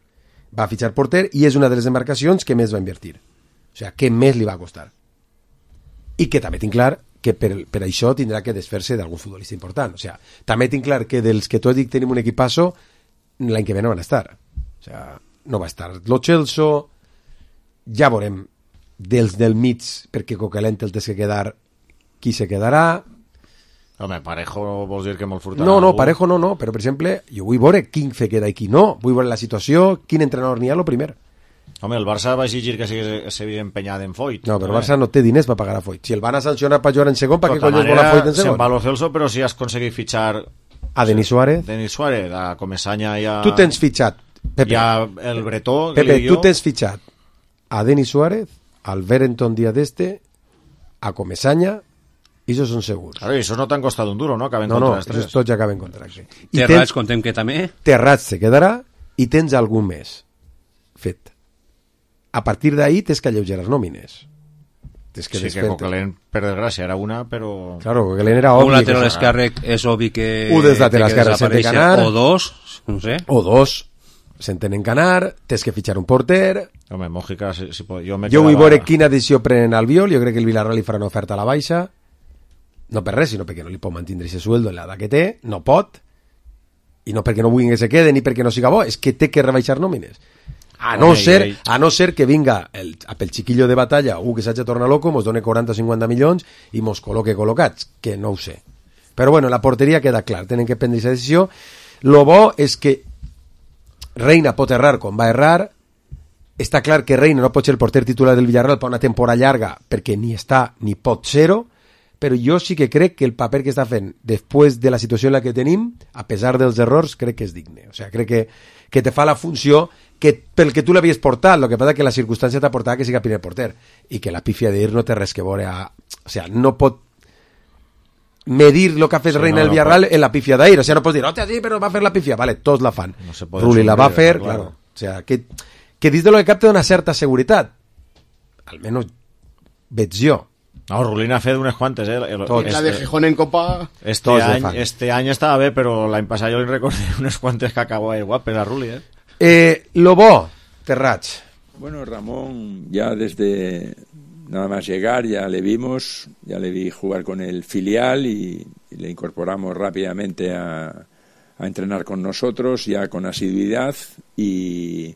Va fitxar porter i és una de les demarcacions que més va invertir. O sigui, que més li va costar. I que també tinc clar que per, per això tindrà que desfer-se d'algun futbolista important. O sigui, també tinc clar que dels que tu has dit que tenim un equipasso, l'any que ve no van estar. O sigui, no va estar Lo Celso, ja veurem dels del mig, perquè Coquelin el té que quedar, qui se quedarà. Home, Parejo vols dir que molt furtarà? No, no, Parejo no, no, però per exemple jo vull veure quin se queda i qui no, vull veure la situació, quin entrenador n'hi ha lo primer. Home, el Barça va exigir que s'havia empenyat en Foyt. No, però el Barça no té diners per pagar a Foyt. Si el van a sancionar per jugar en segon, per què collons vol a Foyt en segon? Se'n va Lo Celso, però si has aconseguit fitxar a Denis Suárez, Denis Suárez, a Comesaña i a... Tu tens fitxat, Pepe, i a el Bretó, Pepe, tu tens fitxat a Denis Suárez, al Berenton día de este, a Comesaña, i esos són segurs. Claro, i esos no t'han costat un duro, no? Acaben no, contra no, les tres. esos tots ja acaben contracte. Terrats, contem que també. Terrats se quedarà i tens algun més fet. A partir d'ahí tens que alleugerar les nòmines. Tens que sí, que Coquelin, per desgràcia, era una, però... Claro, Coquelin era obvi. Un lateral esquerre és obvi que... Un dels laterals esquerres s'ha de canar. O dos, no sé. O dos. S'entenen canar, tens que fitxar un porter. Home, Mójica, si, si pot, jo me jo quedava... vull veure quina decisió prenen al Viol, jo crec que el Villarreal li farà una oferta a la baixa, no per res, sinó perquè no li pot mantenir aquest sueldo en l'edat que té, no pot, i no perquè no vulguin que se quede ni perquè no siga bo, és que té que rebaixar nòmines. A no, Home, ser, i... a no ser que vinga el, pel chiquillo de batalla, un que s'hagi tornat loco, mos done quaranta o cinquanta milions i mos col·loque col·locats, que no ho sé. Però bueno, la porteria queda clar, tenen que prendre aquesta decisió. Lo bo és que Reina pot errar quan va errar, està clar que Reina no pot ser el porter titular del Villarreal per una temporada llarga perquè ni està ni pot ser-ho, però jo sí que crec que el paper que està fent després de la situació en la que tenim, a pesar dels errors, crec que és digne. O sigui, crec que, que te fa la funció que pel que tu l'havies portat, el que passa que la circumstància t'ha portat que siga primer porter i que la pífia d'ir no té res que veure a... O sigui, no pot medir lo que ha fet sí, Reina no, el Villarreal no en la pifia d'ahir, o sea, no pots dir, hòstia, sí, però va fer la pifia, vale, tots la fan, no Rulli la va fer, claro, claro. O sea, que, que dins de lo que cap té una certa seguretat, almenys veig jo. No, Rulli n'ha fet unes quantes, eh? El, este, la de Gijón en Copa... Este any, este any estava bé, però l'any passat jo li recordé unes quantes que acabava de guapes a Rulli, eh? Eh, lo bo, Terrats. Bueno, Ramón, ya desde... nada más llegar ya le vimos, ya le vi jugar con el filial y, y le incorporamos rápidamente a, a entrenar con nosotros, ya con asiduidad, y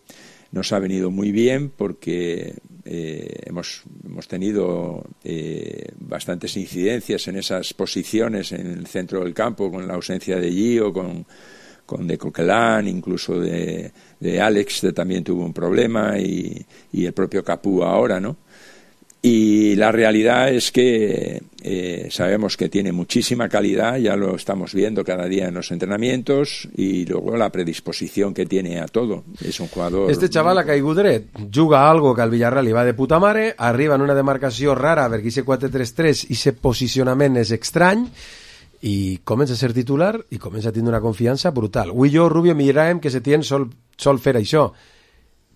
nos ha venido muy bien porque eh, hemos, hemos tenido eh, bastantes incidencias en esas posiciones en el centro del campo, con la ausencia de Gio, con, con de Coquelin, incluso de, de Alex, que también tuvo un problema, y, y el propio Capú ahora, ¿no? Y la realidad es que eh, sabemos que tiene muchísima calidad, ya lo estamos viendo cada día en los entrenamientos, y luego la predisposición que tiene a todo. Es un jugador... Este chaval ha caigut dret, juga algo que al Villarreal li va de puta mare, arriba en una demarcació rara perquè aquest quatre tres tres i aquest posicionament és estrany, i comença a ser titular i comença a tenir una confiança brutal. Avui jo, Rubio, miràvem que Setién sol, sol fer això.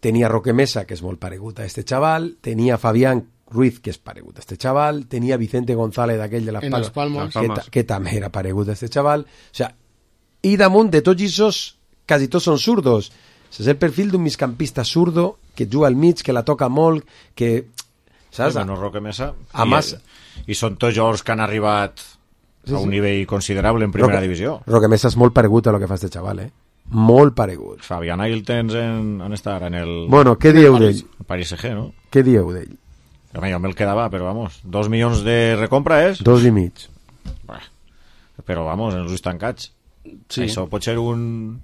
Tenia Roque Mesa, que és molt paregut a este chaval, tenia Fabián Ruiz, que és paregut a este chaval, tenia Vicente González, aquell de les en Palmas, Palmas. Que, ta, que també era paregut a este chaval. O sea, i damunt de tots aquests, quasi tots són zurdos. És el perfil d'un migcampista zurdo que juga al mig, que la toca molt, que... Saps? Sí, bueno, Roque Mesa. A I, más... I són tots jugadors que han arribat sí, a un sí. nivell considerable en primera Roque, divisió. Roque Mesa és molt paregut a lo que fa este xaval, eh? Molt paregut. Fabián Ail tens en, en estar en el... Bueno, què dieu d'ell? Paris C G, no? Què dieu d'ell? Home, jo me'l quedava, però vamos, dos milions de recompra és... Dos i mig. Bah, però vamos, en els ulls tancats. Sí. Això pot ser un,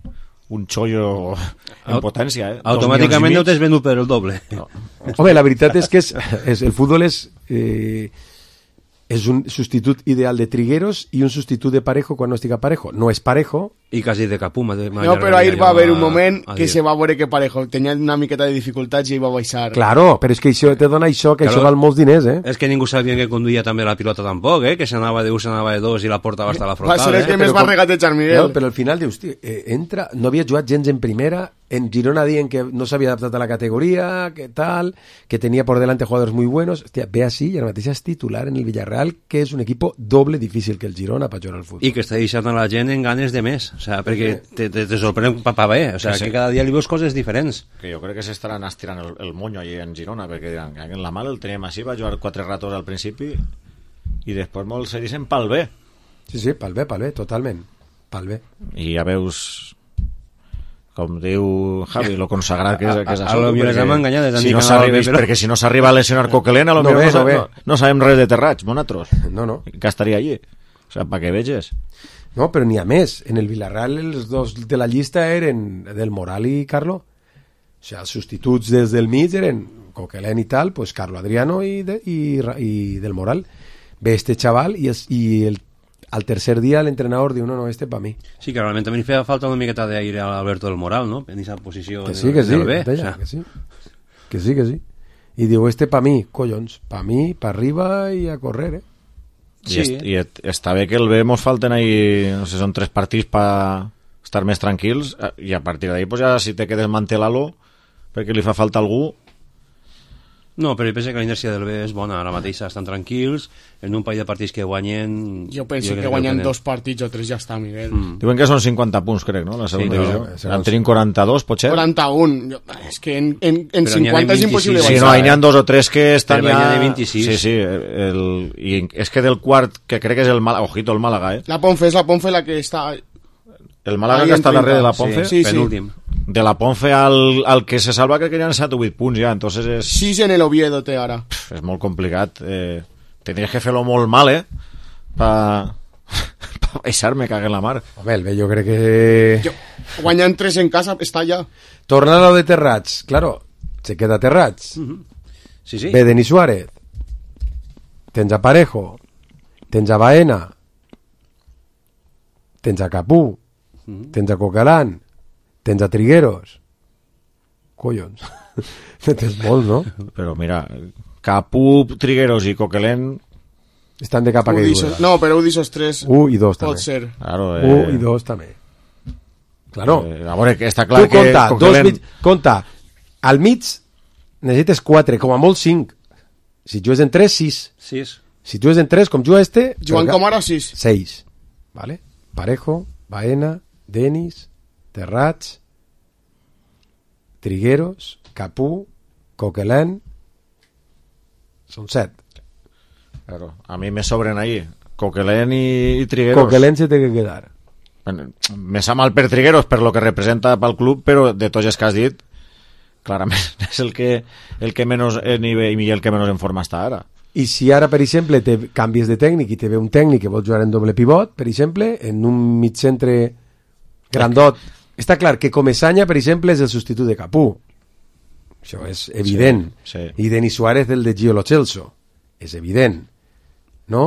un xollo en potència, eh? Automàticament ho t'has venut per el doble. No. Home, la veritat és que és, és, el futbol és... Eh, és un substitut ideal de Trigueros i un substitut de Parejo quan no estigui Parejo. No és Parejo. I quasi de Capú. No, però ahir va haver un moment que se va veure que Parejo tenia una miqueta de dificultats i va baixar. Claro, però és que això te dona això, que claro, això val molts diners, eh? És que ningú sabia que conduïa també la pilota tampoc, eh? Que s'anava de un, s'anava de dos i la portava hasta la frontal. Va ser el que eh? més va regatejar, Miguel. No, però al final dius, tio, eh, entra, no havia jugat gens en primera, en Girona dient que no s'havia adaptat a la categoria, que tal, que tenia por delante jugadores muy buenos. Hòstia, ve així i ara mateix és titular en el Villarreal, que és un equip doble difícil que el Girona per jugar al futbol. I que està deixant a la gent en ganes de més, o sea, perquè te, te, te sorprèn pa, pa bé, o sea, que, que cada dia li veus coses diferents. Que jo crec que s'estaran estirant el, el monyo allí en Girona, perquè diran, en la mal el teníem així, va jugar quatre ratos al principi i després molts se dicen pel bé. Sí, sí, pel bé, pel bé, totalment, pel bé. I ja veus, com diu Javi, lo consagrat que és, que és això. A lo millor hem enganyat, si no però... perquè si no s'arriba a lesionar Coquelin, a lo no millor ve, no, no, no, no sabem res de Terrats, monatros. No, no. Que estaria allí. O sea, para que veges. No, però n'hi ha més. En el Villarreal els dos de la llista eren del Moral i Carlo. O sigui, els substituts des del mig eren Coquelin i tal, pues Carlo Adriano i, de, i, i del Moral. Ve este chaval i, es, i el al tercer dia l'entrenador diu, no, no, este pa mi. Sí, que realment també feia falta una miqueta d'aire a Alberto del Moral, no? En aquesta posició que sí, que sí, del B. Deia, o sea. que sí, que sí, que sí. I diu, este pa mi, collons, pa mi, pa arriba i a correr, eh? Sí. I, est, i et, està bé que el B mos falten ahí, no sé, són tres partits per estar més tranquils, i a partir d'ahí, pues ja si te quedes mantelalo, perquè li fa falta algú. No, però jo penso que la inèrcia del B és bona, ara mateix estan tranquils, en un parell de partits que guanyen... Jo penso jo que, que guanyen dos partits o tres ja està, Miguel. Mm. Diuen que són cinquanta punts, crec, no? La segona sí, divisió. No, en tenim quaranta-dos, potser? quaranta-un. Jo, és que en, en, en cinquanta és impossible baixar. Sí, no, n'hi ha dos o tres que estan però ja... de vint-i-sis. Sí, sí, el... i és que del quart, que crec que és el Màlaga, ojito, el Màlaga, eh? La Ponfe és la Ponfe la que està... El Màlaga que està darrere de la Ponfe? Sí, sí, penúltim. De la Ponfe al, al que se salva crec que hi ha set o vuit punts ja, entonces és... sis en el Oviedo té ara. Pff, és molt complicat. Eh, tendries que fer-lo molt mal, eh? Pa... pa baixar-me, cague en la mar. Home, el bé, jo crec que... Jo, guanyant tres en casa, està ja. Tornant a lo de Terrats, claro, se queda Terrats. Uh -huh. Sí, sí. Ve Denis Suárez. Tens a Parejo. Tens a Baena. Tens a Capú. Uh-huh. Tens a Coquelin, tens a Trigueros, collons, tens molts, no? Però mira, Capú, Trigueros i Coquelin estan de capa que diuen. No, però ho disos tres un i dos també. Pot ser. Claro, eh... un i dos també. Claro. Eh, a veure, que està clar tu que compta, Coquelin... dos mig, compta, al mig necessites quatre, com a molt cinc. Si jugues en tres, sis. sis. Si jugues en tres, com juga este... Jugant com ara, sis. seis. Vale? Parejo, Baena, Denis, Terrats, Trigueros, Capú, Coquelin, són set. Claro, a mi me sobren ahí Coquelin i, i Trigueros. Coquelin se té que quedar. Me sa mal per Trigueros per lo que representa pel club, però de tots els que has dit clarament és el que, el que menys en nivell i el que menys en forma està ara. I si ara, per exemple, te canvies de tècnic i te ve un tècnic que vol jugar en doble pivot, per exemple, en un mig centre grandot, està clar que Comesaña, per exemple, és el substitut de Capú. Això és evident. Sí, sí. I Denis Suárez, el de Gio Lo Celso. És evident. No?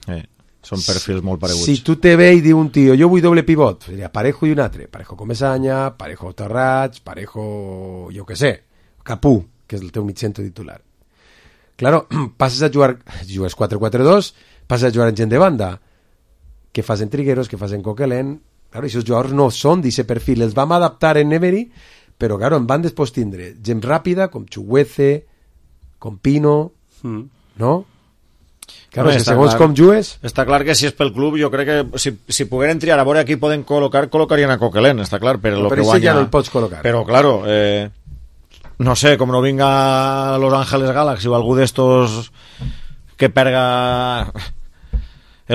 Sí. Són perfils molt pareguts. Si tu te ve i diu un tio, jo vull doble pivot, seria Parejo i un altre. Parejo Comesaña, Parejo Terrats, Parejo, jo què sé, Capú, que és el teu mig centre titular. Claro, passes a jugar, jugues quatre quatre dos, passes a jugar en gent de banda. Què fas en Trigueros, què fas en Coquelin? Claro, aquests jugadors no són d'aquest perfil, els vam adaptar en Emery, però claro, en van després tindre gent ràpida, com Chuguece, com Pino, mm. no? Claro, no, és que segons clar, com jugues... Està clar que si és pel club, jo crec que si, si pogueren triar a veure aquí poden col·locar, col·locarien a Coquelin, està clar, per lo però que guanya. ja no el pots col·locar. Però, claro, eh, no sé, com no vinga Los Ángeles Galaxy o algú d'estos que perga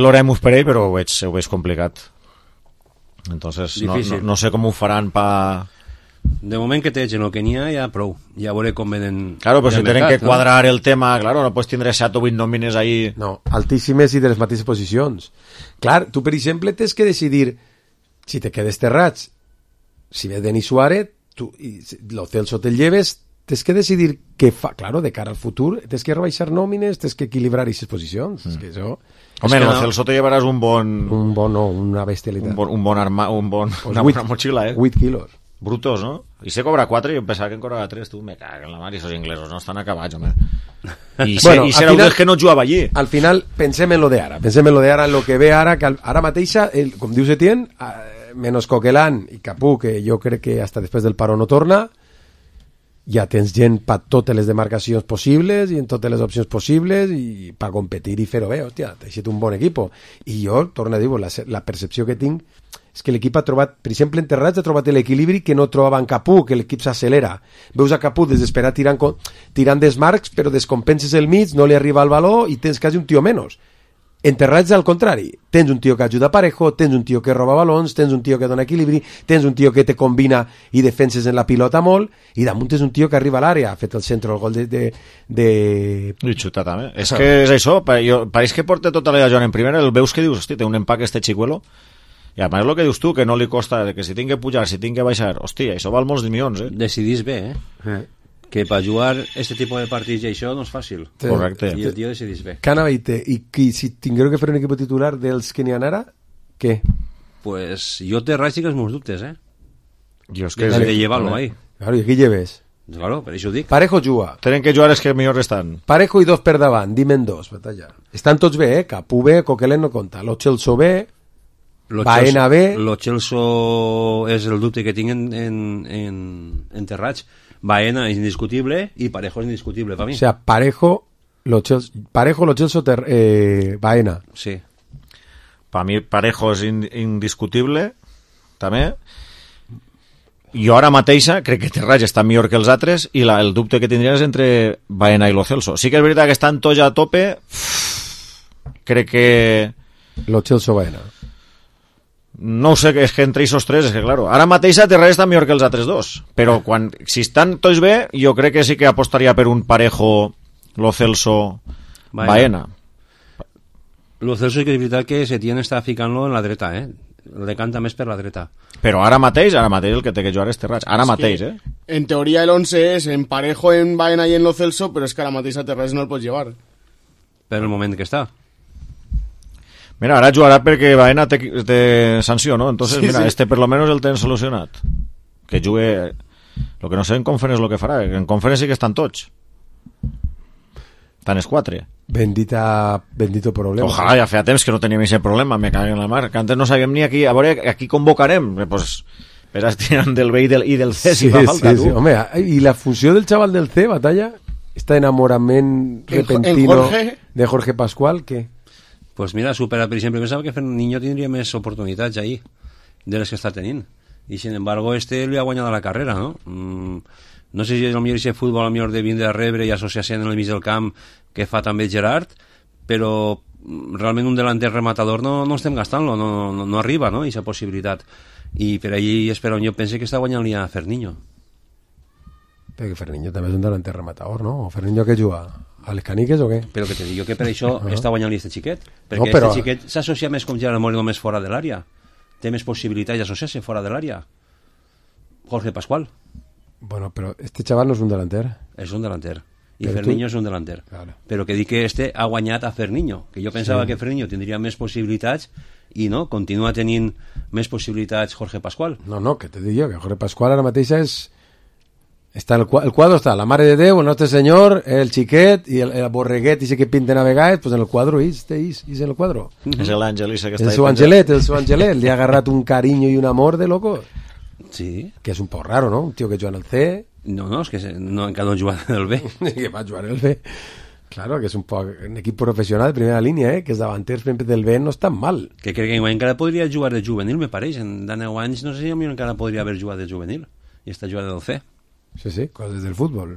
l'oremus per ell, però ho veig, ho veig complicat. Entonces, no, no, no sé com ho faran pa... De moment que t'egen el que n'hi ha, ja prou. Ja veuré com venen... Claro, però si tenen que quadrar el tema, claro, no pots tindre set o vuit nòmines ahí... No, altíssimes i de les mateixes posicions. Clar, tu, per exemple, tens que decidir si te quedes Terrats, si ve Denis Suárez, tu, i lo Celso te lleves, tens que decidir què fa. Claro, de cara al futur, tens que rebaixar nòmines, tens que equilibrar aquestes posicions. Mm. És que això... Home, es lo no... Celso te llevaràs un bon... Un bon, no, una bestialitat. Un bon, un bon arma... Un bon... Pues una vuit, bona motxilla, eh? vuit quilos. Brutos, ¿no? I se cobra quatre i jo pensava que en cobrava tres, tu, me cago en la mar, i esos inglesos no estan acabats, home. I, se, bueno, i serà un que no jugava allí. Al final, pensem en lo de ara, pensem en lo de ara, en lo que ve ara, que ara mateixa, el, com diu Setién, eh, menos Coquelin i Capú, que jo crec que hasta després del paró no torna, ja tens gent per totes les demarcacions possibles i en totes les opcions possibles i per competir i fer-ho bé, hòstia, t'ha deixat un bon equip. I jo, torno a dir, la, la percepció que tinc és que l'equip ha trobat, per exemple, en Terrats ha trobat l'equilibri que no trobava en Capú, que l'equip s'accelera. Veus a Capú desesperat tirant, tirant desmarcs, però descompenses el mig, no li arriba el valor i tens quasi un tio menys. En Terrats, al contrari, tens un tio que ajuda Parejo, tens un tio que roba balons, tens un tio que dona equilibri, tens un tio que te combina i defenses en la pilota molt, i damunt tens un tio que arriba a l'àrea, ha fet el centre, el gol de... de, de... I xuta també. És que és això, pareix que porta tota la Joan en primera, el veus que dius, hosti, té un empaque este xicuelo. I a més el que dius tu, que no li costa, que si tinc que pujar, si tinc que baixar, hòstia, això val molts milions, eh? Decidís bé, eh? eh. Que per jugar este tipus de partits i això no és fàcil. Sí. Correcte. I el tio decidís bé. Cana Beite, i qui, si tingueu que fer un equip titular dels que n'hi ha ara, què? Pues jo té res i que els meus dubtes, eh? Jo és que... De, de llevar-lo ahí. Claro, i aquí lleves? Claro, per això ho dic. Parejo juga. Tenen que jugar els que millor estan. Parejo i dos per davant, dimen dos, batalla. Estan tots bé, eh? Capú bé, Coquelin no compta. Lo Celso bé, Lo Baena bé. Lo Celso és el dubte que tinc en, en, en, en Terrats. Baena és indiscutible i Parejo és indiscutible per mi. O sea, Parejo, lo Celso, Parejo, lo Celso, ter, eh, Baena. Sí. Per mi Parejo és in, indiscutible, també. Jo ara mateixa crec que Terrats està millor que els altres i la, el dubte que tindria és entre Baena i lo Celso. Sí que és veritat que estan tots a tope. Crec que... Lo Celso, Baena. No ho sé, és que entre aquests tres, és que claro, ara mateix Terrats està millor que els altres dos, però quan, si estan tots bé, jo crec que sí que apostaria per un Parejo, Lo Celso, Baena. Baena. Lo Celso és que és veritat que Setién està ficant-lo en la dreta, eh? El decanta més per la dreta. Però ara mateix, ara mateix el que té que jugar és Terrats, ara es mateix, eh? En teoria el once és en Parejo, en Baena i en Lo Celso, però és que ara mateix a Terrats no el pots llevar. Per el moment que està. Mira, ara jugarà perquè Baena té, té sanció, ¿no? Entonces, sí, mira, sí. este per lo menos el tenen solucionat. Que jugue... Lo que no sé en conference lo que farà. En conference sí que estan tots. Estan els quatre. Bendita, bendito problema. Ojalà, ja feia temps que no teníem aquest problema, me cago en la mar. Que antes no sabíem ni aquí... A veure, aquí convocarem. Pues, veràs tirant del B i del, i del C, sí, si fa falta, sí, tu. Sí. Home, i la funció del xaval del C, Batalla, este enamorament repentino Jorge? de Jorge Pascual, què? Pues mira, supera, per exemple, pensava que Ferniño tindria més oportunitats ahí de les que està tenint. I, sin embargo, este li ha guanyat la carrera, no? Mm, no sé si és el millor aquest futbol, el millor de vindre a rebre i associar-se en el mig del camp que fa també Gerard, però realment un delanter rematador no, no estem gastant-lo, no, no, no arriba, no?, aquesta possibilitat. I per allí és per on jo pense que està guanyant-li a Ferniño. Perquè Ferniño també és un delanter rematador, no? O Ferniño que juga? A les caniques o què? Però que te dic jo que per això uh-huh. està guanyant-li este xiquet. Perquè no, però... este xiquet s'associa més com Gerard Moreno més fora de l'àrea. Té més possibilitats d'associar-se fora de l'àrea. Jorge Pascual. Bueno, però este chaval no és un delanter. És un delanter. I Però Ferniño tu... és un delanter. Claro. Però que dic que este ha guanyat a Ferniño. Que jo pensava sí. que Ferniño tindria més possibilitats i no, continua tenint més possibilitats Jorge Pascual. No, no, que te dic jo, que Jorge Pascual ara mateix és... Està el, el quadro està la Mare de Déu, el Nostre Senyor, el xiquet i el, el borreguet i que pinten a vegades, pues en el quadro és, és, és en el quadro. Mm-hmm. És l'àngel que està el seu angelet, el seu angelet, li ha agarrat un carinyo i un amor de loco. Sí. Que és un poc raro, no? Un tio que juga en el C. No, no, és que no, encara no juga en el B. que va jugar en el B. Claro, que és un poc un equip professional de primera línia, eh? Que els davanters del B no estan mal. Que crec que encara podria jugar de juvenil, me pareix. En deu anys no sé si encara podria haver jugat de juvenil i està jugant del C. Sí, sí, coses del futbol.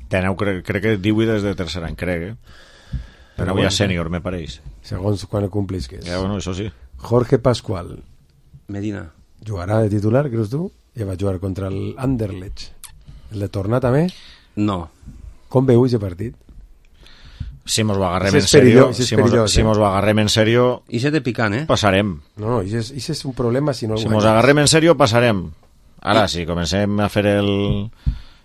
Teneu, crec, crec que divuit des de tercer any, crec, eh? Però avui bueno, sènior, me pareix. Segons quan el complisques. Ja, bueno, això sí. Jorge Pascual. Medina. Jugarà de titular, creus tu? Ja va jugar contra el Anderlecht. El de tornar també? No. Com veu aquest partit? Si mos ho agarrem en serio, si mos, si mos ho agarrem en serio, i se te pican, eh? Passarem. No, no, i és un problema si no el Si mos agarrem en serio, passarem. Ara, si comencem a fer el,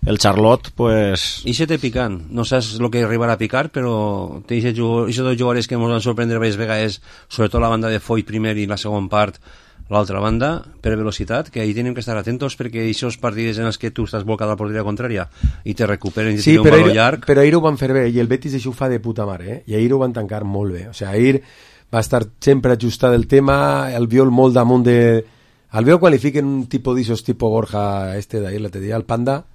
el Charlotte, pues... I se te pican. No saps el que arribarà a picar, però aquests dos jugadors que ens van sorprendre diverses vegades, sobretot la banda de Foy primer i la segona part, l'altra banda, per velocitat, que ahí tenim que estar atentos perquè aquests partits en els que tu estàs blocat a la porteria contrària i te recuperen i te sí, tiren un valor llarg... però ahir ho van fer bé, i el Betis això ho fa de puta mare, eh? I ahir ho van tancar molt bé. O sigui, ahir va estar sempre ajustat el tema, el viol molt damunt de... El veo qualifiquen un tipus d'aixòs, tipus Borja este d'ahir, l'altre dia, el Panda,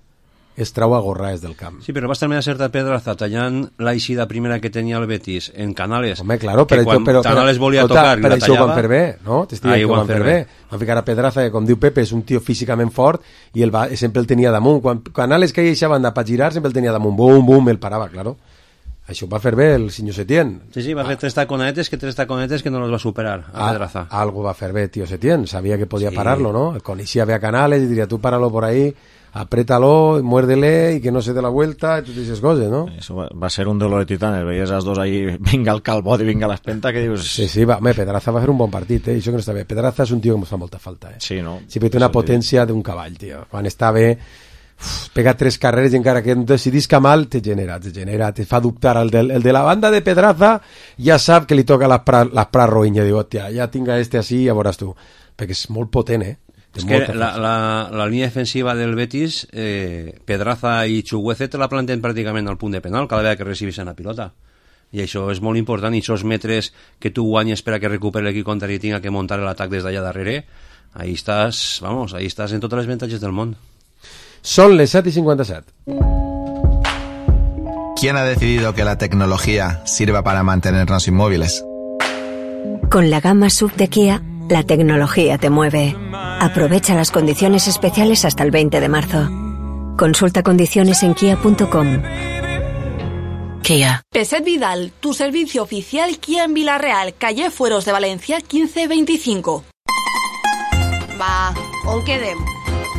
es trau a gorraes del camp. Sí, però va estar més certa Pedraza tallant la eixida primera que tenia el Betis en Canales. Home, claro, que però, quan però, Canales però, volia però, tocar i la això tallava... ho van fer bé, no? T'estic dient que ho van fer bé. bé. Van ficar a Pedraza, que com diu Pepe, és un tio físicament fort i el va, sempre el tenia damunt. Quan Canales caia eixa banda per girar, sempre el tenia damunt. Bum, bum, el parava, claro. Això va fer bé el senyor Setién. Sí, sí, va fer tres taconetes que tres taconetes que no los va superar a Pedraza. Ah, algo va fer bé, tío Setién. Sabia que podia sí. pararlo, ¿no? Coneixia bé a Canales i diria, tú páralo por ahí, apriétalo, muérdele y que no se dé la vuelta y totes esas cosas, ¿no? Eso va, va ser un dolor de titanes. Veies els dos ahí, vinga el calbot i vinga l'espenta, que dius... Sí, sí, va, home, Pedraza va fer un bon partit, eh? Això que no està bé. Pedraza és un tio que ens fa molta falta, eh? Sí, no? Sí, però té una potència d'un cavall, tio. Quan està bé... Uf, pega tres carreres i encara que no decidisca mal te genera, te genera, te fa dubtar el de, el de la banda de Pedraza ja sap que li toca les pra roïnya, diu, hòstia, ja tinga este així, ja veuràs tu, perquè és molt potent, eh? És que la, la, la línia defensiva del Betis, eh, Pedraza i Chuguece te la planten pràcticament al punt de penal cada vegada que recibeixen la pilota, i això és molt important, i aquests metres que tu guanyes per a que recuperi l'equip contrari i tinga que muntar l'atac des d'allà darrere, ahí estàs, vamos, ahí estàs en totes les avantatges del món. Son les set y cincuenta y siete. ¿Quién ha decidido que la tecnología sirva para mantenernos inmóviles? Con la gama S U V de Kia, la tecnología te mueve. Aprovecha las condiciones especiales hasta el veinte de marzo. Consulta condiciones en kia punto com. Kia. Peset Vidal, tu servicio oficial Kia en Vila-real, calle Fueros de Valencia quinze veinticinco. Va, on quedem?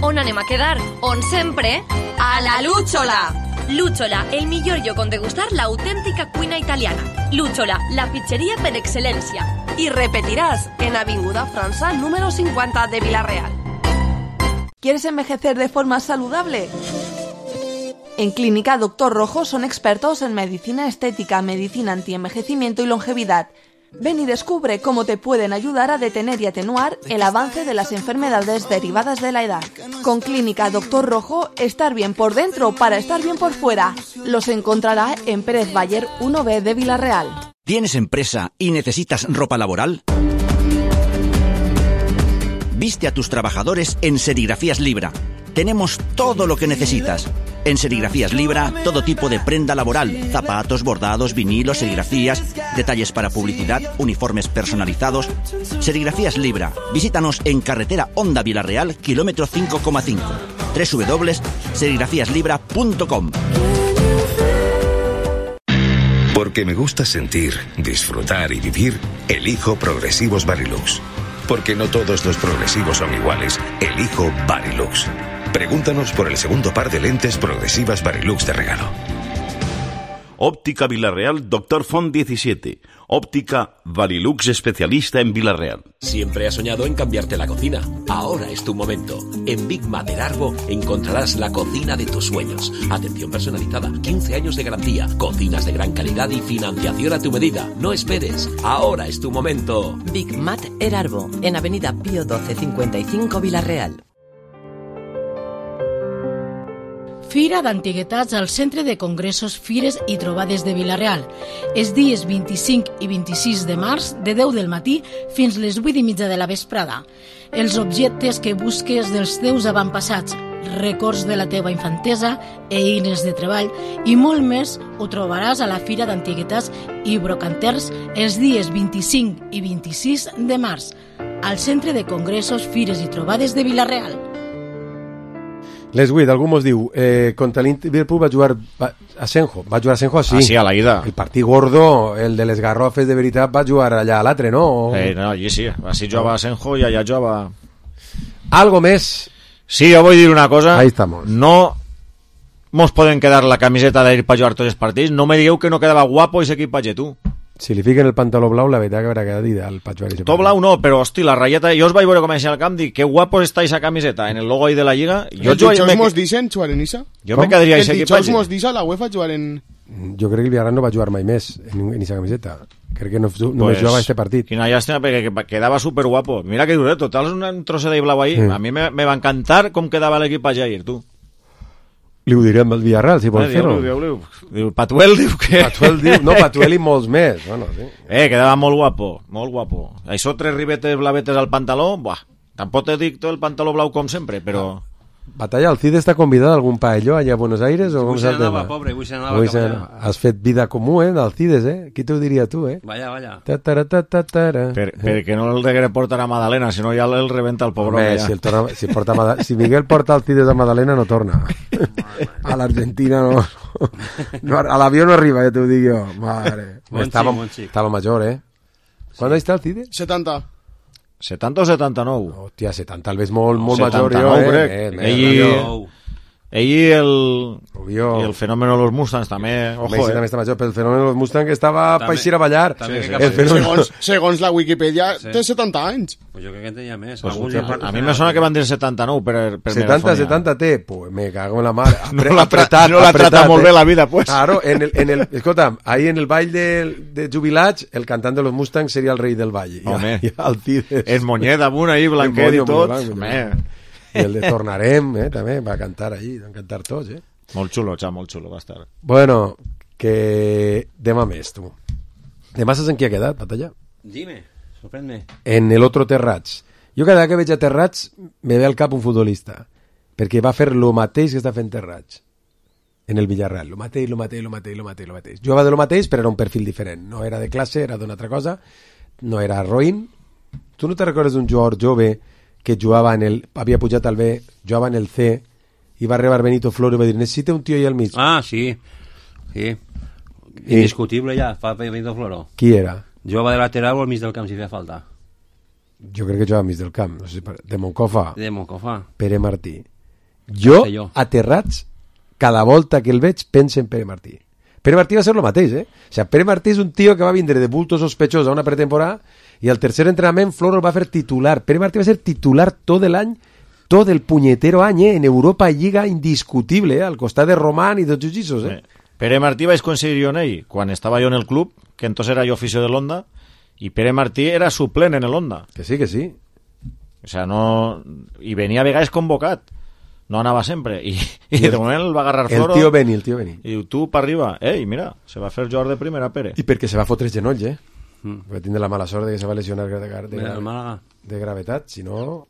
On anem a quedar? On sempre? A la Lúchola! Lúchola, el millor lloc on degustar l'autèntica cuina italiana. Lúchola, la pizzeria per excel·lència. Y repetirás en Avinguda França número cincuenta de Vila-real. ¿Quieres envejecer de forma saludable? En Clínica Doctor Rojo son expertos en medicina estética, medicina antienvejecimiento y longevidad. Ven y descubre cómo te pueden ayudar a detener y atenuar el avance de las enfermedades derivadas de la edad. Con Clínica Doctor Rojo, estar bien por dentro para estar bien por fuera. Los encontrará en Pérez Bayer uno B de Vila-real. ¿Tienes empresa y necesitas ropa laboral? Viste a tus trabajadores en Serigrafías Libra. Tenemos todo lo que necesitas. En Serigrafías Libra, todo tipo de prenda laboral, zapatos, bordados, vinilos, serigrafías, detalles para publicidad, uniformes personalizados. Serigrafías Libra. Visítanos en carretera Honda Vila-real, kilómetro cinco coma cinco. doble u doble u doble u punto serigrafías libra punto com. Porque me gusta sentir, disfrutar y vivir, elijo Progresivos Varilux. Porque no todos los progresivos son iguales, elijo Varilux. Pregúntanos por el segundo par de lentes progresivas Varilux de regalo. Óptica Vila-real, Doctor Font diecisiete. Óptica Varilux, especialista en Vila-real. Siempre has soñado en cambiarte la cocina. Ahora es tu momento. En Big Mat Erarbo encontrarás la cocina de tus sueños. Atención personalizada, quince años de garantía, cocinas de gran calidad y financiación a tu medida. No esperes. Ahora es tu momento. Big Mat Erarbo, en Avenida Pío doce cincuenta y cinco Vila-real. Fira d'Antiguitats al Centre de Congressos, Fires i Trobades de Vila-real. Els dies vint-i-cinc i vint-i-sis de març, de deu del matí fins les vuit i mitja de la vesprada. Els objectes que busques dels teus avantpassats, records de la teva infantesa, eines de treball i molt més ho trobaràs a la Fira d'Antiguitats i Brocanters els dies vint-i-cinc i vint-i-sis de març al Centre de Congressos, Fires i Trobades de Vila-real. Les vuit, algú mos diu, eh, contra l'Liverpool va jugar va, Asenjo, va jugar Asenjo sí. Ah, sí, a la ida. El partit gordo, el de les garrofes de veritat, va jugar allà a l'altre, no? O... Eh, no, allí sí, així jugava Asenjo i allà jugava... Algo més? Sí, jo vull dir una cosa. Ahí estamos. No mos poden quedar la camiseta d'ir per jugar tots els partits. No me digueu que no quedava guapo ese equip patge, tu. Si li fiquen el pantaló blau, la veritat que haurà quedat ideal per jugar ese partit. Tot blau no, però, hosti, la ratlleta... Jo us vaig veure com al camp, dic, que guapos està esa camiseta en el logo ahí de la Lliga. Jo, jo, jo me... mos dicen jugar en Isa? Jo me quedaria ese equip patge. Els mos dice la UEFA jugar en... Jo crec que el Villarreal no va jugar mai més en esa camiseta. Crec que no, no pues, jugava este partit. Quina llàstima, perquè quedava superguapo. Mira que duret, total, és un trosset de blau ahí. Mm. A mi me, me va encantar com quedava l'equip patge ahir, tu. Li ho direm al Villarreal, si vols fer-ho. Diu, diu, Patuel diu que... Patuel diu, no, Patuel i molts més. Bueno, sí. Eh, quedava molt guapo, molt guapo. Això tres ribetes blavetes al pantaló, buah, tampoc te dic tot el pantaló blau com sempre, però... Ah. Batalla, el Cid està convidat a algun paelló allà a Buenos Aires? O avui se n'anava, pobre, avui se n'anava cap allà. Has fet vida comú, eh, del Cides, eh? Qui t'ho diria tu, eh? Vaya, vaya. Per, perquè no el de portar a Madalena, si no ja el rebenta el pobre. Home, si, el torna, si, porta Mada, si Miguel porta el Cides a Madalena no torna. A l'Argentina no, no a l'avió no arriba, ja t'ho dic jo. Madre. Bon estava, xic, bon xic. Estava major, eh? Sí. ¿Cuándo está el Cides? setanta. setanta o setanta-nou? Hòstia, setanta el ves molt, molt setanta-nou, major, jo, crec. eh? eh ell, ell i el, Rubio. I el fenòmeno de los Mustangs també, ojo, Messi eh? també està major, però el fenòmeno de los Mustangs que estava també, per eixir a ballar. També, sí, sí. El fenòmeno... segons, segons la Wikipedia, sí. té setanta anys. Pues jo crec que en tenia més. Pues usted, a mi me sona que van dir setanta-nou per, per setanta, setanta té, pues me cago en la mar. Apre, no la, apretat, no la apretat, trata molt eh? bé la vida, pues. Claro, en el, en el, escolta, ahí en el ball de, de jubilats, el cantant de los Mustangs seria el rei del ball. Home, i, i el Cides. És monyet amunt ahí, blanquet i tot. Home. I el de Tornarem, eh, també, va cantar ahí, van cantar tots, eh. Molt xulo, xa, molt xulo va estar. Bueno, que demà més, tu. Demà saps en qui ha quedat, Batalla? Dime, sorprèn-me. En el otro Terrats. Jo cada que veig a Terrats me ve al cap un futbolista, perquè va fer lo mateix que està fent Terrats en el Villarreal. Lo mateix, lo mateix, lo mateix, lo mateix, lo mateix. Jugava de lo mateix, però era un perfil diferent. No era de classe, era d'una altra cosa. No era roïn. Tu no te recordes d'un jugador jove que jugava en el... havia pujat al B, jugava en el C, i va arribar Benito Floro i va dir, necessita un tio allà al mig. Ah, sí. Sí. Indiscutible ja, fa Benito Floro. Qui era? Jugava de lateral o al mig del camp si feia falta. Jo crec que jugava al mig del camp. No sé, de Moncofa. De Moncofa. Pere Martí. Jo, jo, aterrats, cada volta que el veig, penso en Pere Martí. Pere Martí va ser el mateix, eh? O sigui, Pere Martí és un tio que va vindre de bulto sospechós a una pretemporada i al tercer entrenament Floro el va fer titular. Pere Martí va ser titular tot l'any, tot el punyetero any, eh? En Europa Lliga indiscutible, eh? Al costat de Román i tots els lliços, eh? Pere Martí vaig coincidir jo en ell quan estava jo en el club, que entonces era jo oficio de l'Onda, i Pere Martí era suplent en l'Onda. Que sí, que sí. O sea, no... I venia a vegades convocat. No anava sempre. I, i de moment el va agarrar Floro. El tio Beni, el tio Beni. I diu, tu per arriba. Ei, mira, se va fer jugador de primera, Pere. I perquè se va fotre els genolls, eh? Mm. Va tindre la mala sort de que se va lesionar de, de, de, de, de gravetat. Si no...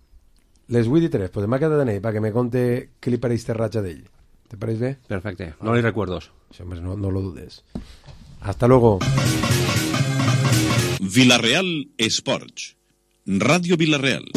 Les vuit i tres, pues m'ha quedat en ell, perquè me conte què li pareix Terratxa d'ell. ¿Te pareix bé? Perfecte, no li recuerdos. Sí, hombre, no, no lo dudes. Hasta luego. Villarreal Sports. Radio Villarreal.